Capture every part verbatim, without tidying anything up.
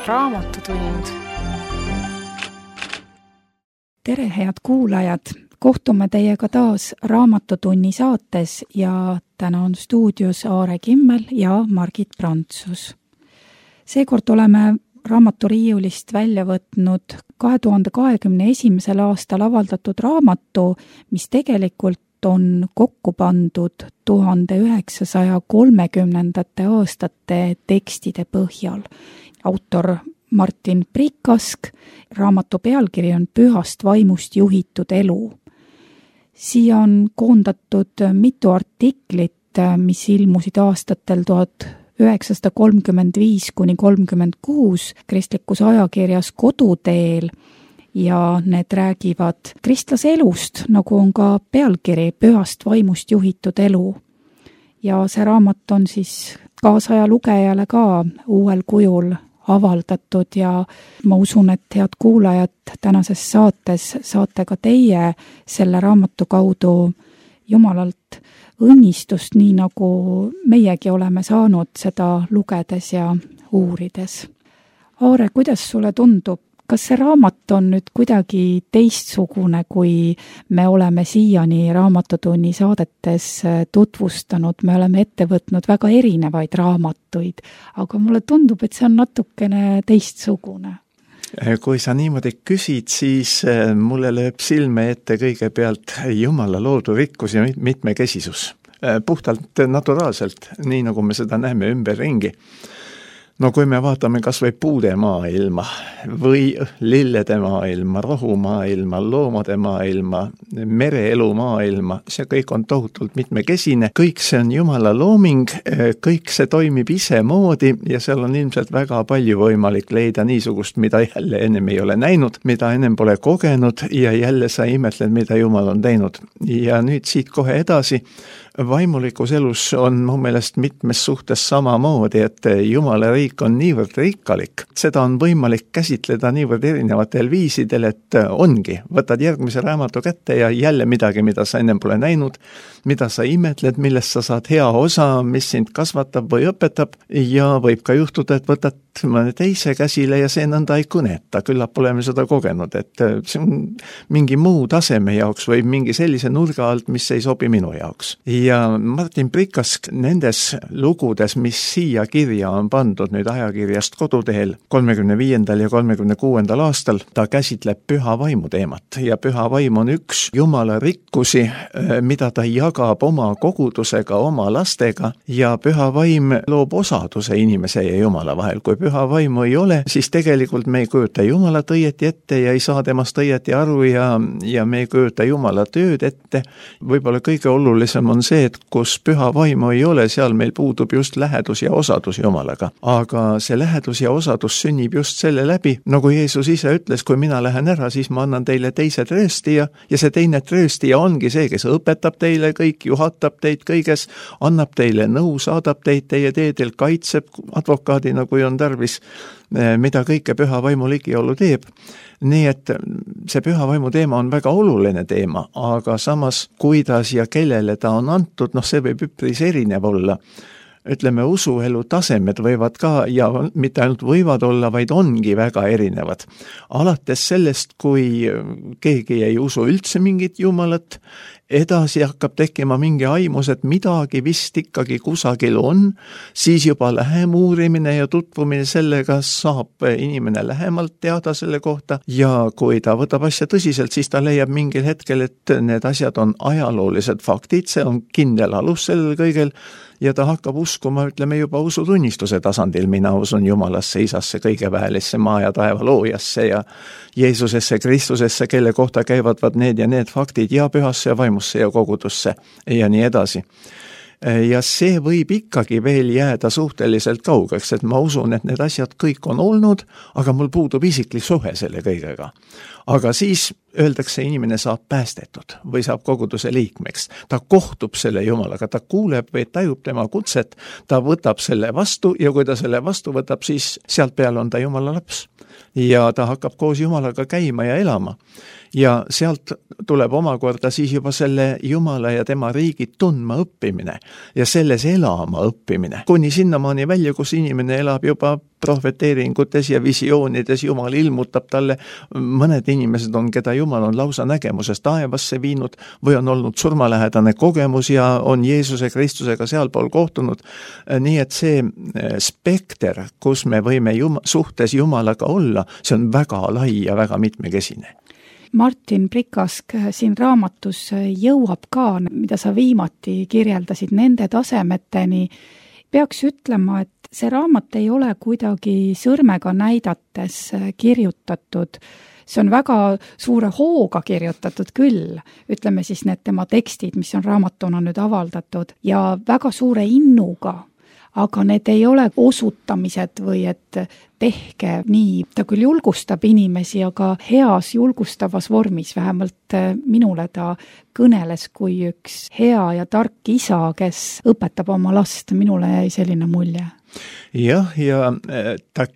Raamatutund. Tere, head kuulajad! Kohtume teiega taas Raamatutunni saates ja täna on stuudios Aare Kimmel ja Margit Prantsus. Seekord oleme raamaturiiulist välja võtnud kahe tuhande kahekümne esimesel aastal avaldatud raamatu, mis tegelikult on kokku pandud tuhande üheksasaja kolmekümnendate aastate tekstide põhjal. Autor Martin Prikask, raamatu pealkiri on Pühast vaimust juhitud elu. Siia on koondatud mitu artiklit, mis ilmusid aastatel tuhat üheksasada kolmkümmend viis kuni kolmkümmend kuus kristlikus ajakirjas Koduteel ja need räägivad kristlase elust, nagu on ka pealkiri Pühast vaimust juhitud elu. Ja see raamat on siis kaasaja lugejale ka uuel kujul avaldatud ja ma usun, et head kuulajad tänases saates saate ka teie selle raamatu kaudu Jumalalt õnnistust, nii nagu meiegi oleme saanud seda lugedes ja uurides. Aare, kuidas sulle tundub? Kas see raamat on nüüd kuidagi teistsugune, kui me oleme siiani Raamatutunni saadetes tutvustanud? Me oleme ette võtnud väga erinevaid raamatuid, aga mulle tundub, et see on natukene teistsugune. Kui sa niimoodi küsid, siis mulle lööb silme ette kõigepealt Jumala loodu rikkus ja mitmekesisus. Puhtalt naturaalselt, nii nagu me seda näeme ümberringi. No kui me vaatame kas või puude maailma või lillede maailma, rohu maailma, loomade maailma, mereelu maailma, see kõik on tohutult mitmekesine. Kõik see on Jumala looming, kõik see toimib ise moodi ja seal on ilmselt väga palju võimalik leida niisugust, mida jälle ennem ei ole näinud, mida ennem pole kogenud ja jälle sa imetled, mida Jumal on teinud. Ja nüüd siit kohe edasi. Vaimulikus elus on mu meelest mitmes suhtes samamoodi, et Jumala riik on niivõrd rikkalik. Seda on võimalik käsitleda niivõrd erinevatel viisidel, et ongi. Võtad järgmise raamatu kätte ja jälle midagi, mida sa ennem pole näinud, mida sa imetled, millest sa saad hea osa, mis sind kasvatab või õpetab ja võib ka juhtuda, et võtad mõne teise käsile ja see nõnda ei kõneta. Küllap oleme seda kogenud, et see on mingi muu taseme jaoks või mingi sellise nurga alt, mis ei sobi minu jaoks. Ja Martin Prikask nendes lugudes, mis siia kirja on pandud nüüd ajakirjast Koduteel kolmekümne viiendal ja kolmekümne kuuendal aastal, ta käsitleb püha vaimu teemat ja püha vaim on üks Jumala rikkusi, mida ta jagab oma kogudusega, oma lastega ja püha vaim loob osaduse inimese ja Jumala vahel. Kui püha vaimu ei ole, siis tegelikult me ei kujuta Jumalat õieti ette ja ei saa temast õieti aru ja, ja me ei kujuta Jumala tööd ette. Võib-olla kõige olulisem on see, et kus püha vaimu ei ole, seal meil puudub just lähedus ja osadus Jumalaga. Aga see lähedus ja osadus sünnib just selle läbi, nagu Jeesus ise ütles, kui mina lähen ära, siis ma annan teile teise trööstija ja see teine trööstija ongi see, kes õpetab teile kõik, juhatab teid kõiges, annab teile nõu, saadab teid teie teedel, kaitseb advokaadina, kui on tarvis, mida kõike püha vaimu ligiolu teeb. Nii et see püha vaimu teema on väga oluline teema, aga samas kuidas ja kellele ta on antud, noh see võib üpris erinev olla. Ütleme, usuelu tasemed võivad ka ja mitte ainult võivad olla, vaid ongi väga erinevad. Alates sellest, kui keegi ei usu üldse mingit Jumalat, edasi hakkab tekkima mingi aimus, et midagi vist ikkagi kusagil on, siis juba lähem uurimine ja tutvumine sellega saab inimene lähemalt teada selle kohta ja kui ta võtab asja tõsiselt, siis ta leiab mingil hetkel, et need asjad on ajaloolised faktid, see on kindel alus sellel kõigel ja ta hakkab uskuma, ütleme juba usutunnistuse tasandil, mina usun Jumalasse, Isasse, kõigeväelisse maa ja taeva loojasse ja Jeesusesse, Kristusesse, kelle kohta käivad vaid need ja need faktid ja pühasse ja vaimusse ja kogudusse ja nii edasi. Ja see võib ikkagi veel jääda suhteliselt kaugeks, et ma usun, et need asjad kõik on olnud, aga mul puudub isiklik suhe selle kõigega. Aga siis öeldakse, inimene saab päästetud või saab koguduse liikmeks. Ta kohtub selle Jumalaga, ta kuuleb või tajub tema kutset, ta võtab selle vastu ja kui ta selle vastu võtab, siis sealt peale on ta Jumala laps. Ja ta hakkab koos Jumalaga käima ja elama. Ja sealt tuleb omakorda siis juba selle Jumala ja tema riigi tundma õppimine ja selles elama õppimine. Kuni sinnamaani välja, kus inimene elab juba prohveteeringutes ja visioonides Jumal ilmutab talle, mõned inimesed on, keda Jumal on lausa nägemuses taevasse viinud või on olnud surmalähedane kogemus ja on Jeesuse Kristusega sealpool kohtunud. Nii et see spekter, kus me võime jum- suhtes Jumalaga olla, see on väga lai ja väga mitmekesine. Martin Prikask siin raamatus jõuab ka, mida sa viimati kirjeldasid, nende tasemeteni. Peaks ütlema, et see raamat ei ole kuidagi sõrmega näidates kirjutatud. See on väga suure hooga kirjutatud küll, ütleme siis need tema tekstid, mis on raamatuna nüüd avaldatud, ja väga suure innuga. Aga need ei ole osutamised või et tehke nii. Ta küll julgustab inimesi, aga heas julgustavas vormis, vähemalt minule ta kõneles kui üks hea ja tark isa, kes õpetab oma last. Minule jäi selline mulje. Jah, ja ta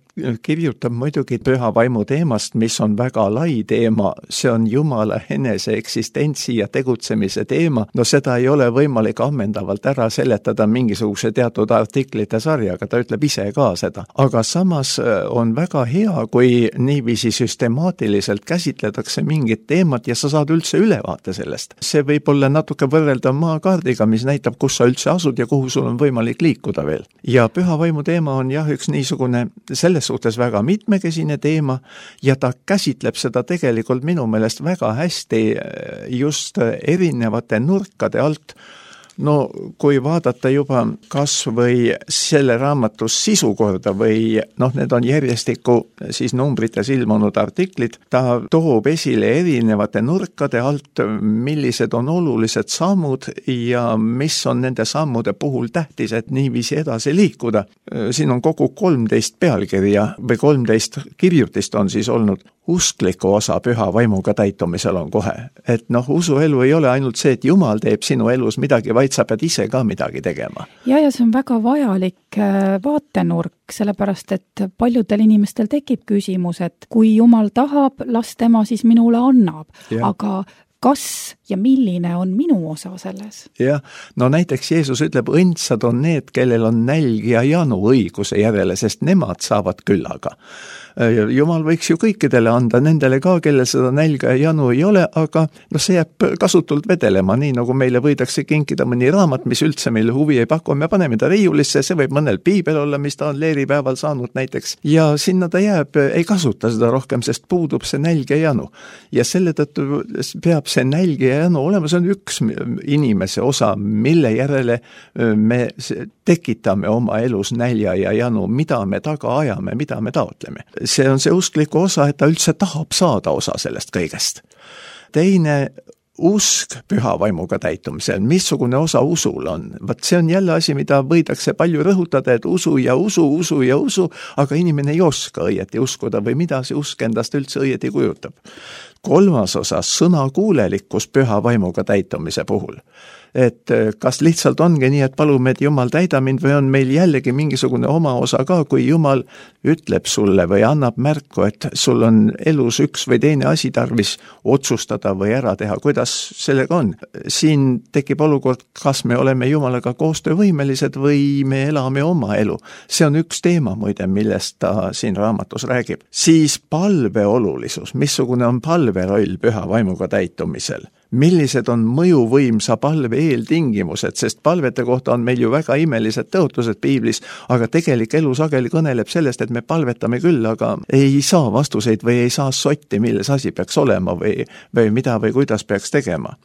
kirjutab muidugi püha vaimu teemast, mis on väga lai teema, see on Jumala enese eksistentsi ja tegutsemise teema, no seda ei ole võimalik ammendavalt ära seletada mingisuguse teatud artiklite sarjaga, ta ütleb ise ka seda, aga samas on väga hea, kui niiviisi süstemaatiliselt käsitletakse mingit teemat ja sa saad üldse ülevaate sellest. See võib olla natuke võrreldav maakaardiga, mis näitab, kus sa üldse asud ja kuhu sul on võimalik liikuda veel. Ja püha vaimu teema on jah, üks niisugune selles suhtes väga mitmekesine teema ja ta käsitleb seda tegelikult minu meelest väga hästi just erinevate nurkade alt. No kui vaadata juba kas või selle raamatus sisu korda või noh, need on järjestikku siis numbrites ilmunud artiklid, ta toob esile erinevate nurkade alt, millised on olulised sammud ja mis on nende sammude puhul tähtis, et niiviisi edasi liikuda. Siin on kogu kolmteist pealkirja või kolmteist kirjutist on siis olnud. Uskliku osa püha vaimuga täitumisel on kohe. Et noh, usuelu ei ole ainult see, et Jumal teeb sinu elus midagi, vaid sa pead ise ka midagi tegema. Ja, ja see on väga vajalik vaatenurk, sellepärast, et paljudel inimestel tekib küsimus, et kui Jumal tahab, las tema siis minule annab. Ja. Aga kas ja milline on minu osa selles? Jah, no näiteks Jeesus ütleb, õndsad on need, kellel on nälg ja janu õiguse järele, sest nemad saavad küllaga. Jumal võiks ju kõikidele anda, nendele ka, kellel seda nälga ja janu ei ole, aga no see jääb kasutult vedelema, nii nagu meile võidakse kinkida mõni raamat, mis üldse meile huvi ei paku, me paneme ta riiulisse, see võib mõnel piibel olla, mis ta on leeripäeval saanud näiteks, ja sinna ta jääb, ei kasuta seda rohkem, sest puudub see nälg ja janu. Ja selle tõttu peab see nälg ja janu olema, see on üks inimese osa, mille järele me tekitame oma elus nälja ja janu, mida me taga ajame, mida me taotleme. See on see uskliku osa, et ta üldse tahab saada osa sellest kõigest. Teine usk püha vaimuga täitumisel, missugune osa usul on. Vaat see on jälle asi, mida võidakse palju rõhutada, et usu ja usu, usu ja usu, aga inimene ei oska õieti uskuda või mida see usk endast üldse õieti kujutab. Kolmas osa, sõnakuulelikkus püha vaimuga täitumise puhul. Et kas lihtsalt ongi nii, et palume, et Jumal täida mind või on meil jällegi mingisugune oma osa ka, kui Jumal ütleb sulle või annab märku, et sul on elus üks või teine asi tarvis otsustada või ära teha, kuidas sellega on. Siin tekib olukord, kas me oleme Jumalaga koostöövõimelised või me elame oma elu. See on üks teema muide, millest ta siin raamatus räägib. Siis palve olulisus, missugune on palve roll püha vaimuga täitumisel. Millised on mõjuvõimsa palve eeltingimused, sest palvete kohta on meil ju väga imelised tõotused piiblis, aga tegelik elu sageli kõneleb sellest, et me palvetame küll, aga ei saa vastuseid või ei saa sotti, milles asi peaks olema või, või mida või kuidas peaks tegema.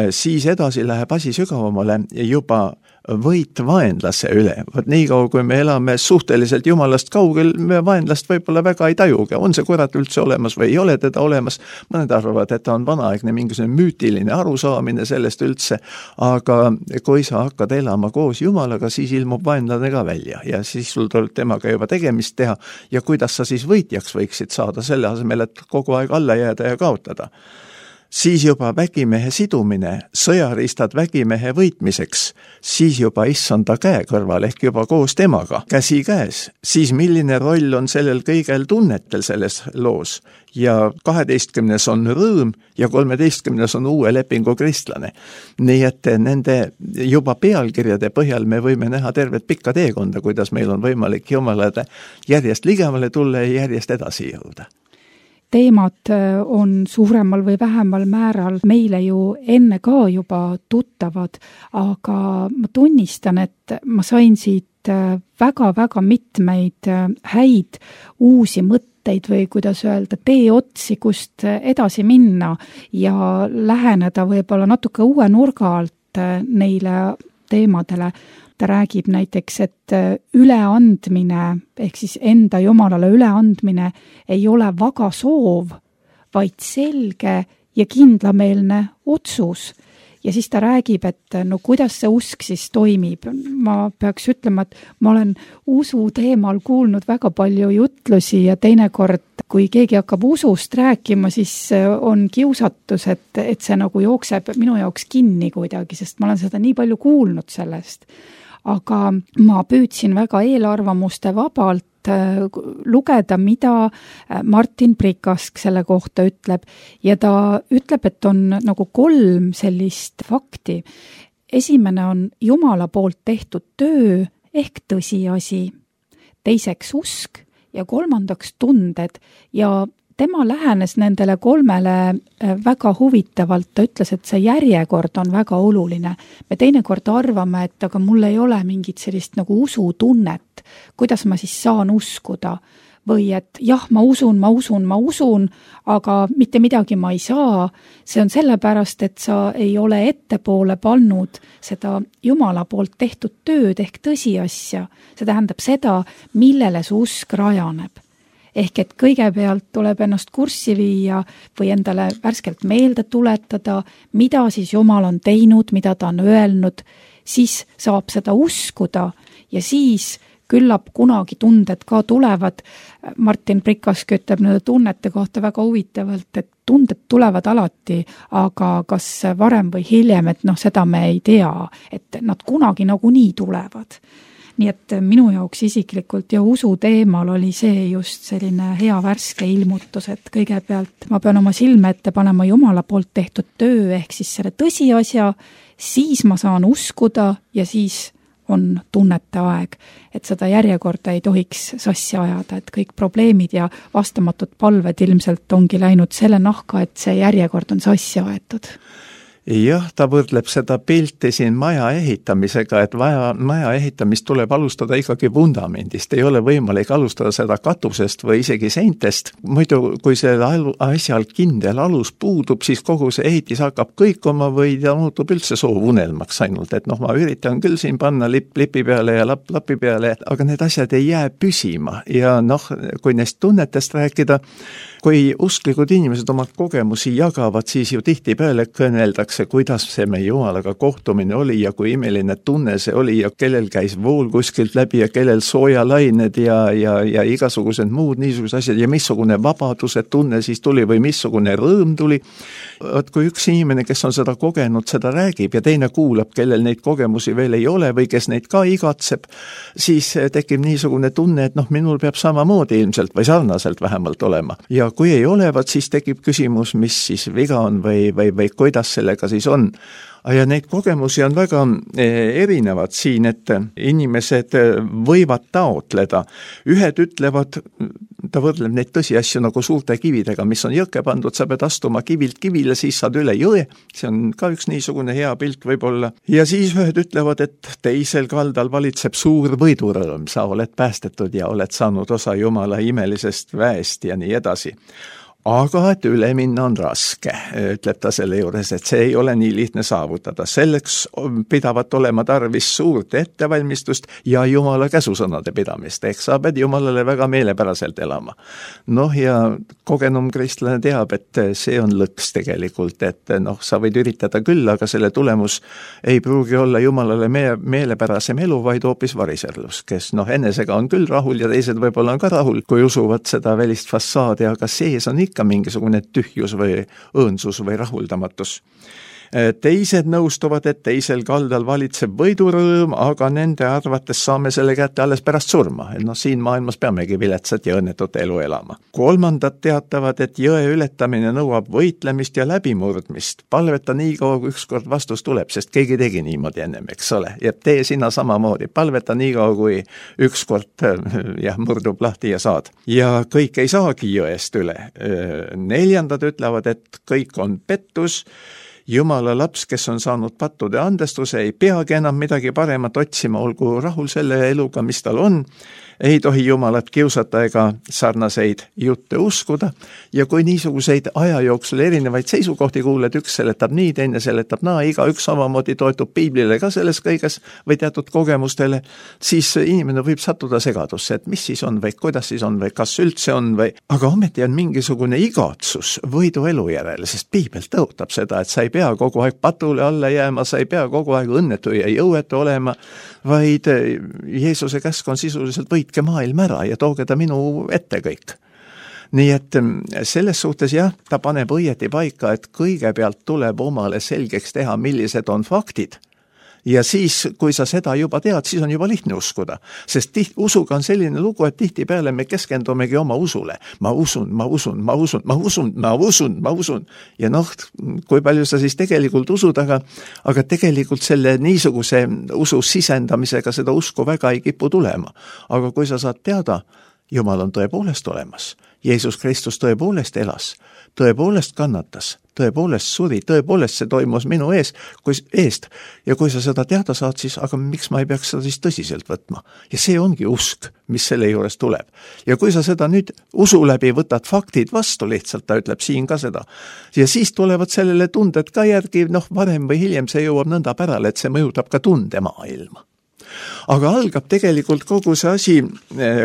Siis edasi läheb asi sügavamale juba võit vaenlase üle. Võt nii kaua, kui me elame suhteliselt Jumalast kaugel, me vaenlast võib-olla väga ei tajugi. On see kurat üldse olemas või ei ole teda olemas? Mõned arvavad, et ta on vanaaegne mingisugune müütiline arusaamine sellest üldse, aga kui sa hakkad elama koos Jumalaga, siis ilmub vaenlane ka välja ja siis sul tuleb temaga juba tegemist teha ja kuidas sa siis võitjaks võiksid saada selle asemel, et kogu aeg alla jääda ja kaotada. siis juba vägimehe sidumine, sõjaristad vägimehe võitmiseks, siis juba issanda käe kõrval ehk juba koos temaga, käsi käes, siis milline roll on sellel kõigel tunnetel selles loos ja kaheteistkümnes on rõõm ja kolmeteistkümnes on uue lepingu kristlane. Nii et nende juba pealkirjade põhjal me võime näha tervet pikka teekonda, kuidas meil on võimalik Jumalale järjest ligemale tulla ja järjest edasi jõuda. Teemad on suuremal või vähemal määral meile ju enne ka juba tuttavad, aga ma tunnistan, et ma sain siit väga-väga mitmeid häid uusi mõtteid või kuidas öelda, teeotsi, kust edasi minna ja läheneda võib-olla natuke uue nurga alt neile teemadele. Ta räägib näiteks, et üleandmine ehk siis enda Jumalale üleandmine ei ole vaga soov, vaid selge ja kindlameelne otsus. Ja siis ta räägib, et no kuidas see usk siis toimib. Ma peaks ütlema, et ma olen usu teemal kuulnud väga palju jutlusi ja teinekord, kui keegi hakkab usust rääkima, siis on kiusatus, et, et see nagu jookseb minu jaoks kinni kuidagi, sest ma olen seda nii palju kuulnud sellest. Aga ma püüdsin väga eelarvamuste vabalt lugeda, mida Martin Prikask selle kohta ütleb. Ja ta ütleb, et on nagu kolm sellist fakti. Esimene on Jumala poolt tehtud töö ehk tõsiasi. Teiseks usk ja kolmandaks tunded ja tema lähenes nendele kolmele väga huvitavalt, ta ütles, et see järjekord on väga oluline. Me teinekord arvame, et aga mul ei ole mingit sellist nagu usutunnet, kuidas ma siis saan uskuda. Või et jah, ma usun, ma usun, ma usun, aga mitte midagi ma ei saa. See on sellepärast, et sa ei ole ettepoole pannud seda Jumala poolt tehtud tööd ehk tõsiasja. See tähendab seda, millele su usk rajaneb. Ehk et kõigepealt tuleb ennast kurssi viia või endale värskelt meelde tuletada, mida siis Jumal on teinud, mida ta on öelnud, siis saab seda uskuda ja siis küllap kunagi tunded ka tulevad. Martin Prikask ütleb nende tunnete kohta väga huvitavalt, et tunded tulevad alati, aga kas varem või hiljem, et noh, seda me ei tea, et nad kunagi nagunii tulevad. Nii et minu jaoks isiklikult ja usu teemal oli see just selline hea värske ilmutus, et kõigepealt ma pean oma silme ette panema Jumala poolt tehtud töö ehk siis selle tõsiasja, siis ma saan uskuda ja siis on tunnete aeg, et seda järjekorda ei tohiks sassi ajada, et kõik probleemid ja vastamatud palved ilmselt ongi läinud selle nahka, et see järjekord on sassi aetud. Jah, ta võrdleb seda pilti siin maja ehitamisega, et vaja, maja ehitamist tuleb alustada ikkagi vundamendist. Ei ole võimalik alustada seda katusest või isegi seintest. Muidu, kui see asjal kindel alus puudub, siis kogu see ehitis hakkab kõikuma või ta muutub üldse soovunelmaks ainult. Et noh, ma üritan küll siin panna lipp lipi peale ja lapp lapi peale, aga need asjad ei jää püsima. Ja noh, kui neist tunnetest rääkida, kui usklikud inimesed oma kogemusi jagavad, siis ju tihti peale kõneldakse, kuidas see meie Jumalaga kohtumine oli ja kui imeline tunne see oli ja kellel käis vool kuskilt läbi ja kellel soojalained ja, ja, ja igasugused muud niisugused asjad ja missugune vabaduse tunne siis tuli või missugune rõõm tuli. Võt, kui üks inimene, kes on seda kogenud, seda räägib ja teine kuulab, kellel neid kogemusi veel ei ole või kes neid ka igatseb, siis tekib niisugune tunne, et noh, minul peab samamoodi ilmselt või sarnaselt vähemalt olema. Ja kui ei olevat, siis tekib küsimus, mis siis viga on või, või, või kuidas sellega siis on. Ja neid kogemusi on väga erinevad siin, et inimesed võivad taotleda. Ühed ütlevad, ta võrdleb neid tõsiasju nagu suurte kividega, mis on jõkke pandud, sa pead astuma kivilt kivile, siis saad üle jõe. See on ka üks niisugune hea pilt võib-olla. Ja siis ühed ütlevad, et teisel kaldal valitseb suur võidurõõm, sa oled päästetud ja oled saanud osa Jumala imelisest väest ja nii edasi. Aga et üle minna on raske, ütleb ta selle juures, et see ei ole nii lihtne saavutada. Selleks pidavat olema tarvis suurt ettevalmistust ja Jumala käsusõnade pidamist, ehk sa pead Jumalale väga meelepäraselt elama. Noh ja kogenum kristlane teab, et see on lõks tegelikult, et noh, sa võid üritada küll, aga selle tulemus ei pruugi olla Jumalale me- meelepärasem elu, vaid hoopis variserlus, kes noh, enesega on küll rahul ja teised võib-olla on ka rahul, kui usuvad seda välist fassaadi, aga sees on ikka ikka mingisugune tühjus või õõnsus või rahuldamatus. Teised nõustuvad, et teisel kaldal valitseb võidurõõm, aga nende arvates saame selle kätte alles pärast surma. Et noh, siin maailmas peamegi viletsat ja õnnetut elu elama. Kolmandad teatavad, et jõe ületamine nõuab võitlemist ja läbimurdmist. Palveta nii kaua, kui ükskord vastus tuleb, sest keegi tegi niimoodi ennem, eks ole. Ja tee sina samamoodi. Palveta nii kaua, kui ükskord jah, murdub lahti ja saad. Ja kõik ei saagi jõest üle. Neljandad ütlevad, et kõik on pettus. Jumala laps, kes on saanud pattude andestuse, ei peagi enam midagi paremat otsima, olgu rahul selle eluga, mis tal on. Ei tohi Jumalat kiusata ega sarnaseid jutte uskuda. Ja kui niisuguseid aja jooksul erinevaid seisukohti kuuled, üks seletab nii, teine seletab naa, iga üks samamoodi toetub piiblile ka selles kõiges või teatud kogemustele, siis inimene võib sattuda segadusse, et mis siis on või kuidas siis on või kas üldse on või. Aga ometi on mingisugune igatsus võidu elu järele, sest piibel tõotab seda, et sa ei pea kogu aeg patule alla jääma, sa ei pea kogu aeg õnnetu ja jõuetu olema, vaid Jeesuse käsk on sisuliselt võitke maailm ära ja tooge ta minu ette kõik. Nii et selles suhtes jah, ta paneb õieti paika, et kõigepealt tuleb omale selgeks teha, millised on faktid. Ja siis, kui sa seda juba tead, siis on juba lihtne uskuda. Sest tiht, usuga on selline lugu, et tihtipeale me keskendumegi oma usule. Ma usun, ma usun, ma usun, ma usun, ma usun, ma usun. Ja noh, kui palju sa siis tegelikult usud, aga, aga tegelikult selle niisuguse usu sisendamisega seda usku väga ei kipu tulema. Aga kui sa saad teada, Jumal on tõepoolest olemas. Jeesus Kristus tõepoolest elas, tõepoolest kannatas, tõepoolest suri, tõepoolest see toimus minu ees, kui, eest. Ja kui sa seda teada saad, siis aga miks ma ei peaks seda siis tõsiselt võtma? Ja see ongi usk, mis selle juures tuleb. Ja kui sa seda nüüd usu läbi võtad faktid vastu lihtsalt, ta ütleb siin ka seda. Ja siis tulevad sellele tunded ka järgi, noh varem või hiljem see jõuab nõnda pärale, et see mõjutab ka tundemaailma. Aga algab tegelikult kogu see asi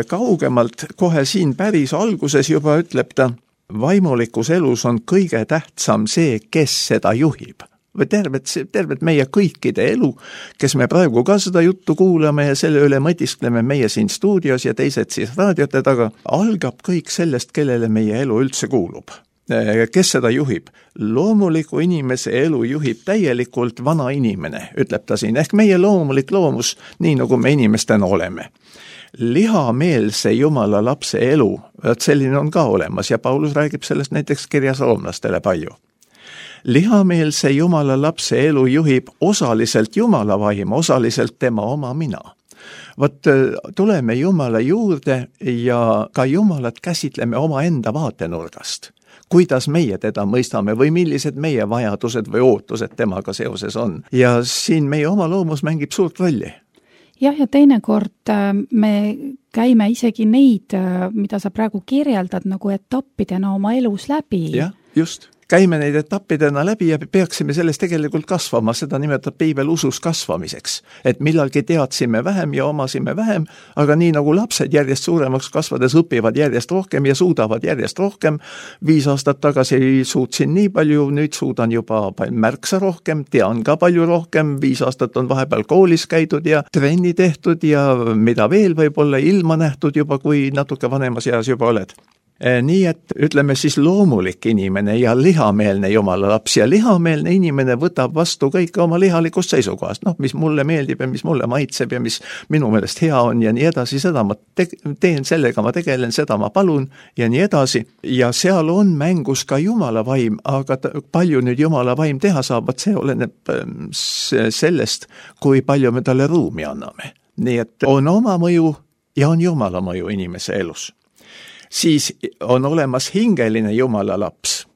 kaugemalt, kohe siin päris alguses juba ütleb ta, vaimulikus elus on kõige tähtsam see, kes seda juhib. Või tervet, tervet meie kõikide elu, kes me praegu ka seda juttu kuulame ja selle üle mõtiskleme meie siin stuudios ja teised siis raadiote taga, algab kõik sellest, kellele meie elu üldse kuulub. Kes seda juhib? Loomuliku inimese elu juhib täielikult vana inimene, ütleb ta siin, ehk meie loomulik loomus, nii nagu me inimestena oleme. Lihameelse Jumala lapse elu, selline on ka olemas ja Paulus räägib sellest näiteks kirjas roomlastele palju. Lihameelse Jumala lapse elu juhib osaliselt Jumala vaim, osaliselt tema oma mina. Vot tuleme Jumala juurde ja ka Jumalat käsitleme oma enda vaatenurgast. Kuidas meie teda mõistame või millised meie vajadused või ootused temaga seoses on. Ja siin meie oma loomus mängib suurt rolli. Jah, ja teinekord me käime isegi neid, mida sa praegu kirjeldad, nagu etappidena oma elus läbi. Jah, just. Käime neid etappidena läbi ja peaksime sellest tegelikult kasvama, seda nimetab piibel usus kasvamiseks. Et millalgi teadsime vähem ja omasime vähem, aga nii nagu lapsed järjest suuremaks kasvades õpivad järjest rohkem ja suudavad järjest rohkem. Viis aastat tagasi suutsin nii palju, nüüd suudan juba märksa rohkem, tean ka palju rohkem, viis aastat on vahepeal koolis käidud ja trenni tehtud ja mida veel võib olla ilma nähtud juba, kui natuke vanemas eas juba oled. Nii et ütleme siis loomulik inimene ja lihameelne Jumala laps ja lihameelne inimene võtab vastu kõike oma lihalikust seisukohast, noh, mis mulle meeldib ja mis mulle maitseb ja mis minu meelest hea on ja nii edasi, seda ma te- teen sellega, ma tegelen, seda ma palun ja nii edasi. Ja seal on mängus ka Jumala vaim, aga palju nüüd Jumala vaim teha saab, see oleneb sellest, kui palju me talle ruumi anname. Nii et on oma mõju ja on Jumala mõju inimese elus. Siis on olemas hingeline Jumala laps,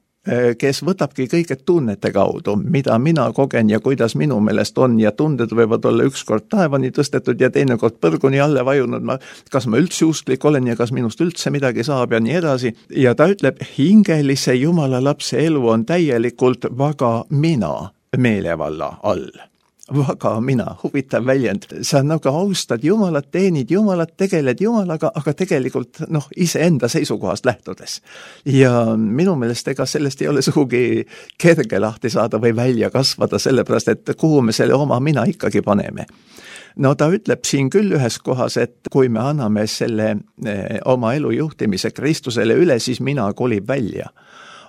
kes võtabki kõige tunnete kaudu, mida mina kogen ja kuidas minu meelest on ja tunded võivad olla ükskord taevani tõstetud ja teinekord põrguni alle vajunud, ma, kas ma üldse usklik olen ja kas minust üldse midagi saab ja nii edasi. Ja ta ütleb, hingelise Jumala lapse elu on täielikult vaga mina meelevalla all. Vaga mina, huvitav väljend. Sa nagu austad Jumalat, teenid Jumalat, tegeled Jumalaga, aga tegelikult noh, iseenda seisukohast lähtudes. Ja minu meelest ega sellest ei ole sugugi kerge lahti saada või välja kasvada, sellepärast et kuhu me selle oma mina ikkagi paneme. no ta ütleb siin küll ühes kohas, et kui me anname selle eh, oma elu juhtimise Kristusele üle, siis mina kolib välja.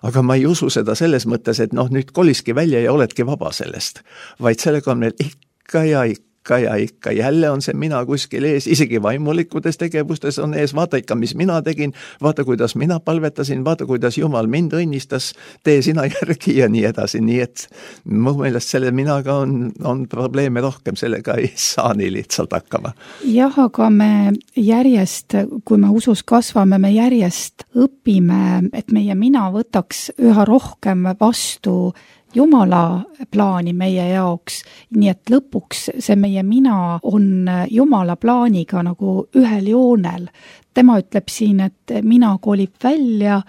Aga ma ei usu seda selles mõttes, et noh, nüüd koliski välja ja oledki vaba sellest, vaid sellega on meil ikka ja ikka ja ikka jälle on see mina kuskil ees, isegi vaimulikutes tegevustes on ees, vaata ikka, mis mina tegin, vaata, kuidas mina palvetasin, vaata, kuidas Jumal mind õnnistas, tee sina järgi ja nii edasi, nii et mu meelest selle minaga on, on probleeme rohkem, sellega ei saa nii lihtsalt hakkama. Jah, aga me järjest, kui me usus kasvame, me järjest õpime, et meie mina võtaks üha rohkem vastu Jumala plaani meie jaoks, nii et lõpuks see meie mina on Jumala plaaniga nagu ühel joonel. Tema ütleb siin, et mina kolib välja,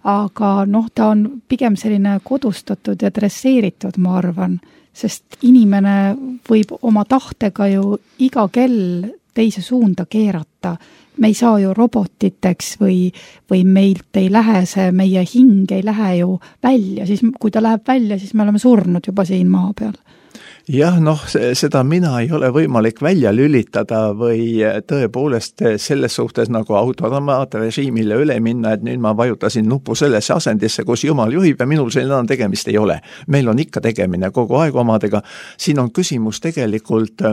aga noh, ta on pigem selline kodustatud ja dresseeritud, ma arvan, sest inimene võib oma tahtega ju iga kell teise suunda keerata. Me ei saa ju robotiteks või, või meilt ei lähe see, meie hing ei lähe ju välja, siis kui ta läheb välja, siis me oleme surnud juba siin maa peal. Jah, noh, seda mina ei ole võimalik välja lülitada või tõepoolest selles suhtes nagu automaatrežiimile üle minna, et nüüd ma vajutasin nupu sellesse asendisse, kus Jumal juhib ja minul selline tegemist ei ole. Meil on ikka tegemine kogu aeg omadega. Siin on küsimus tegelikult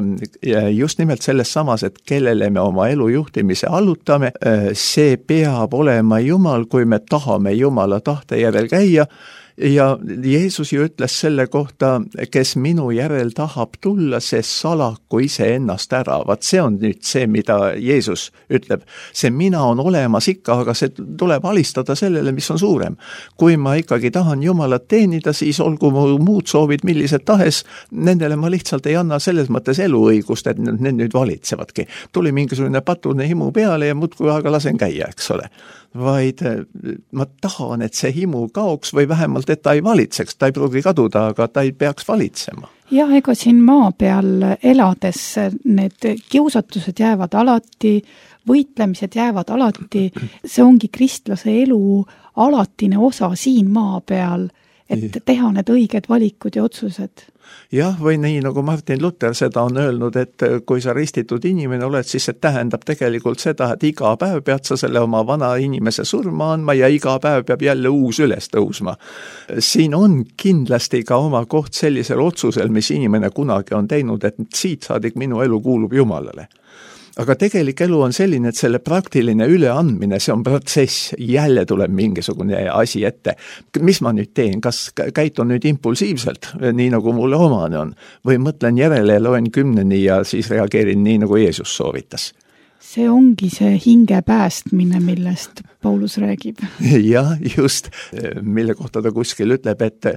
just nimelt selles samas, et kellele me oma elu juhtimise allutame. See peab olema Jumal, kui me tahame Jumala tahte järel käia. Ja Jeesus ju ütles selle kohta, kes minu järel tahab tulla, see salaku ise ennast ära. Vaat see on nüüd see, mida Jeesus ütleb. See mina on olemas ikka, aga see tuleb alistada sellele, mis on suurem. Kui ma ikkagi tahan Jumalat teenida, siis olgu mu muud soovid millised tahes, nendele ma lihtsalt ei anna selles mõttes eluõigust, et need nüüd valitsevadki. Tuli mingisugune patune himu peale ja muudkui aga lasen käia, eks ole. Vaid ma tahan, et see himu kaoks või vähemalt, et ta ei valitseks, ta ei pruugi kaduda, aga ta ei peaks valitsema. Jah, ega siin maa peal elades need kiusatused jäävad alati, võitlemised jäävad alati, see ongi kristlase elu alatine osa siin maa peal, et teha need õiged valikud ja otsused. Jah, või nii nagu Martin Luther seda on öelnud, et kui sa ristitud inimene oled, siis see tähendab tegelikult seda, et iga päev pead sa selle oma vana inimese surma andma ja iga päev peab jälle uus üles tõusma. Siin on kindlasti ka oma koht sellisel otsusel, mis inimene kunagi on teinud, et siit saadik minu elu kuulub Jumalale. Aga tegelik elu on selline, et selle praktiline üleandmine, see on protsess, jälle tuleb mingisugune asi ette. Mis ma nüüd teen? Kas käitun nüüd impulsiivselt, nii nagu mulle omane on? Või mõtlen järele ja loen kümneni ja siis reageerin nii, nagu Jeesus soovitas? See ongi see hinge päästmine, millest Paulus räägib. Jah, just, mille kohta ta kuskil ütleb, et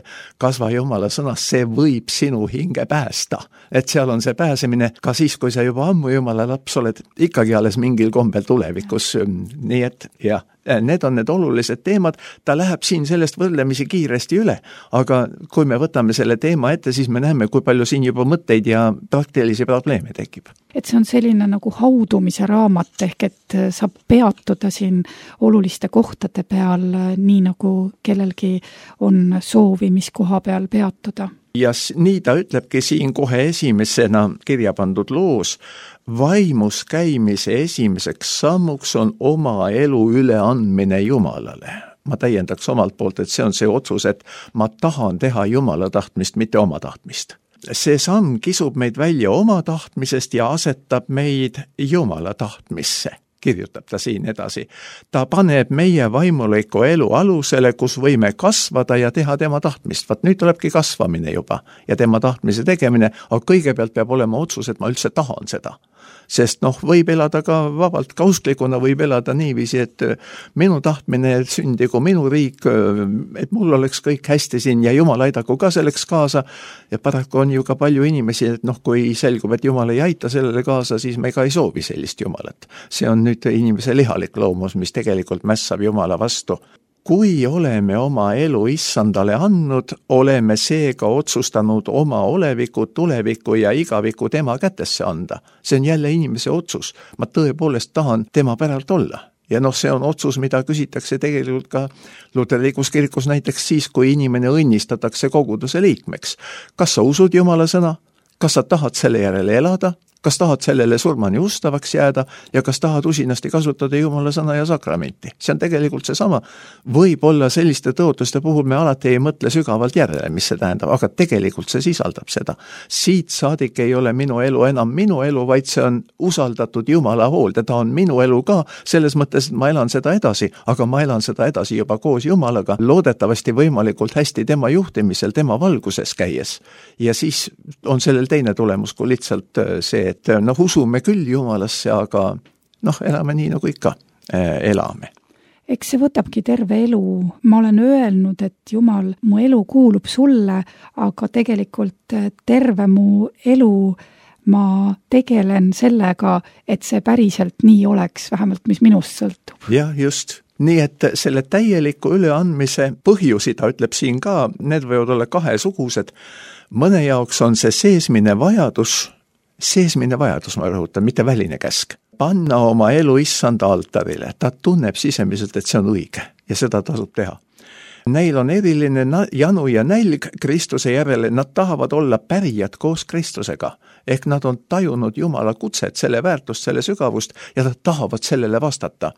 kasva Jumala sõnas, see võib sinu hinge päästa. Et seal on see pääsemine ka siis, kui sa juba ammu Jumala laps oled, ikkagi alles mingil kombel tulevikus. Nii et jah, need on need olulised teemad, ta läheb siin sellest võrdlemisi kiiresti üle, aga kui me võtame selle teema ette, siis me näeme, kui palju siin juba mõtteid ja praktilisi probleeme tekib. Et see on selline nagu haudumise raamat, ehk et saab peatuda siin oluliste kohtade peal, nii nagu kellelgi on soovi, mis koha peal peatuda. Ja nii ta ütlebki siin kohe esimesena kirja pandud loos, vaimus käimise esimeseks sammuks on oma elu üleandmine Jumalale. Ma täiendaks omalt poolt, et see on see otsus, et ma tahan teha Jumala tahtmist, mitte oma tahtmist. See samm kisub meid välja oma tahtmisest ja asetab meid Jumala tahtmisse. Kirjutab ta siin edasi. Ta paneb meie vaimuliku elu alusele, kus võime kasvada ja teha tema tahtmist. Vaat nüüd tulebki kasvamine juba ja tema tahtmise tegemine, aga kõigepealt peab olema otsus, et ma üldse tahan seda. Sest noh, võib elada ka vabalt, ka usklikuna võib elada niiviisi, et minu tahtmine sündigu minu riik, et mul oleks kõik hästi siin ja Jumal aidaku ka selleks kaasa. Ja paraku on ju ka palju inimesi, et noh, kui selgub, et Jumal ei aita sellele kaasa, siis me ka ei soovi sellist Jumalat. See on nüüd inimese lihalik loomus, mis tegelikult mässab Jumala vastu. Kui oleme oma elu issandale andnud, oleme seega otsustanud oma oleviku, tuleviku ja igaviku tema kätesse anda. See on jälle inimese otsus. Ma tõepoolest tahan tema päralt olla. Ja noh, see on otsus, mida küsitakse tegelikult ka luterlikus kirikus näiteks siis, kui inimene õnnistatakse koguduse liikmeks. Kas sa usud Jumala sõna? Kas sa tahad selle järele elada? kas tahad sellele surmani ustavaks jääda ja kas tahad usinasti kasutada Jumala sõna ja sakramenti. See on tegelikult seesama. Võib-olla selliste tõotuste puhul me alati ei mõtle sügavalt järele, mis see tähendab, aga tegelikult see sisaldab seda. Siit saadik ei ole minu elu enam minu elu, vaid see on usaldatud Jumala hoolde. Ta on minu elu ka, selles mõttes, et ma elan seda edasi, aga ma elan seda edasi juba koos Jumalaga, loodetavasti võimalikult hästi tema juhtimisel, tema valguses käies. Ja siis on sellel teine tulemus kui lihtsalt see, et noh, usume küll Jumalasse, aga noh, elame nii nagu ikka äh, elame. Eks see võtabki terve elu. Ma olen öelnud, et Jumal, mu elu kuulub sulle, aga tegelikult terve mu elu ma tegelen sellega, et see päriselt nii oleks, vähemalt mis minust sõltub. Jah, just. Nii et selle täieliku üleandmise põhjusi, ta ütleb siin ka, need võivad olla kahesugused. Mõne jaoks on see seesmine vajadus, seesmine vajadus, ma rõhutan, mitte väline käsk. Panna oma elu issanda altarile. Ta tunneb sisemiselt, et see on õige ja seda tasub teha. Neil on eriline janu ja nälg Kristuse järele, nad tahavad olla pärijad koos Kristusega. Ehk nad on tajunud Jumala kutset, selle väärtust, selle sügavust ja nad tahavad sellele vastata.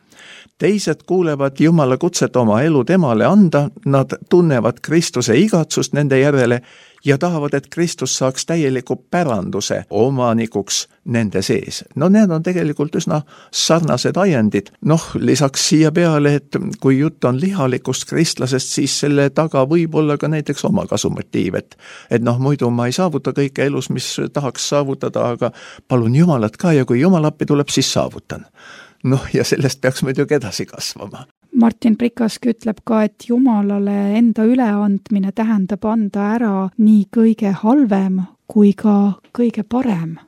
Teised kuulevad Jumala kutset oma elu temale anda, nad tunnevad Kristuse igatsust nende järele ja tahavad, et Kristus saaks täieliku päranduse omanikuks nende sees. No need on tegelikult üsna sarnased ajendid. Noh, lisaks siia peale, et kui jutt on lihalikust kristlasest, siis selle taga võib olla ka näiteks oma kasumotiiv, et, et noh, muidu ma ei saavuta kõike elus, mis tahaks saavutada, aga palun Jumalat ka ja kui Jumal appi tuleb, siis saavutan. Noh, ja sellest peaks muidugi edasi kasvama. Martin Prikask ütleb ka, et Jumalale enda üleandmine tähendab anda ära nii kõige halvem kui ka kõige parem.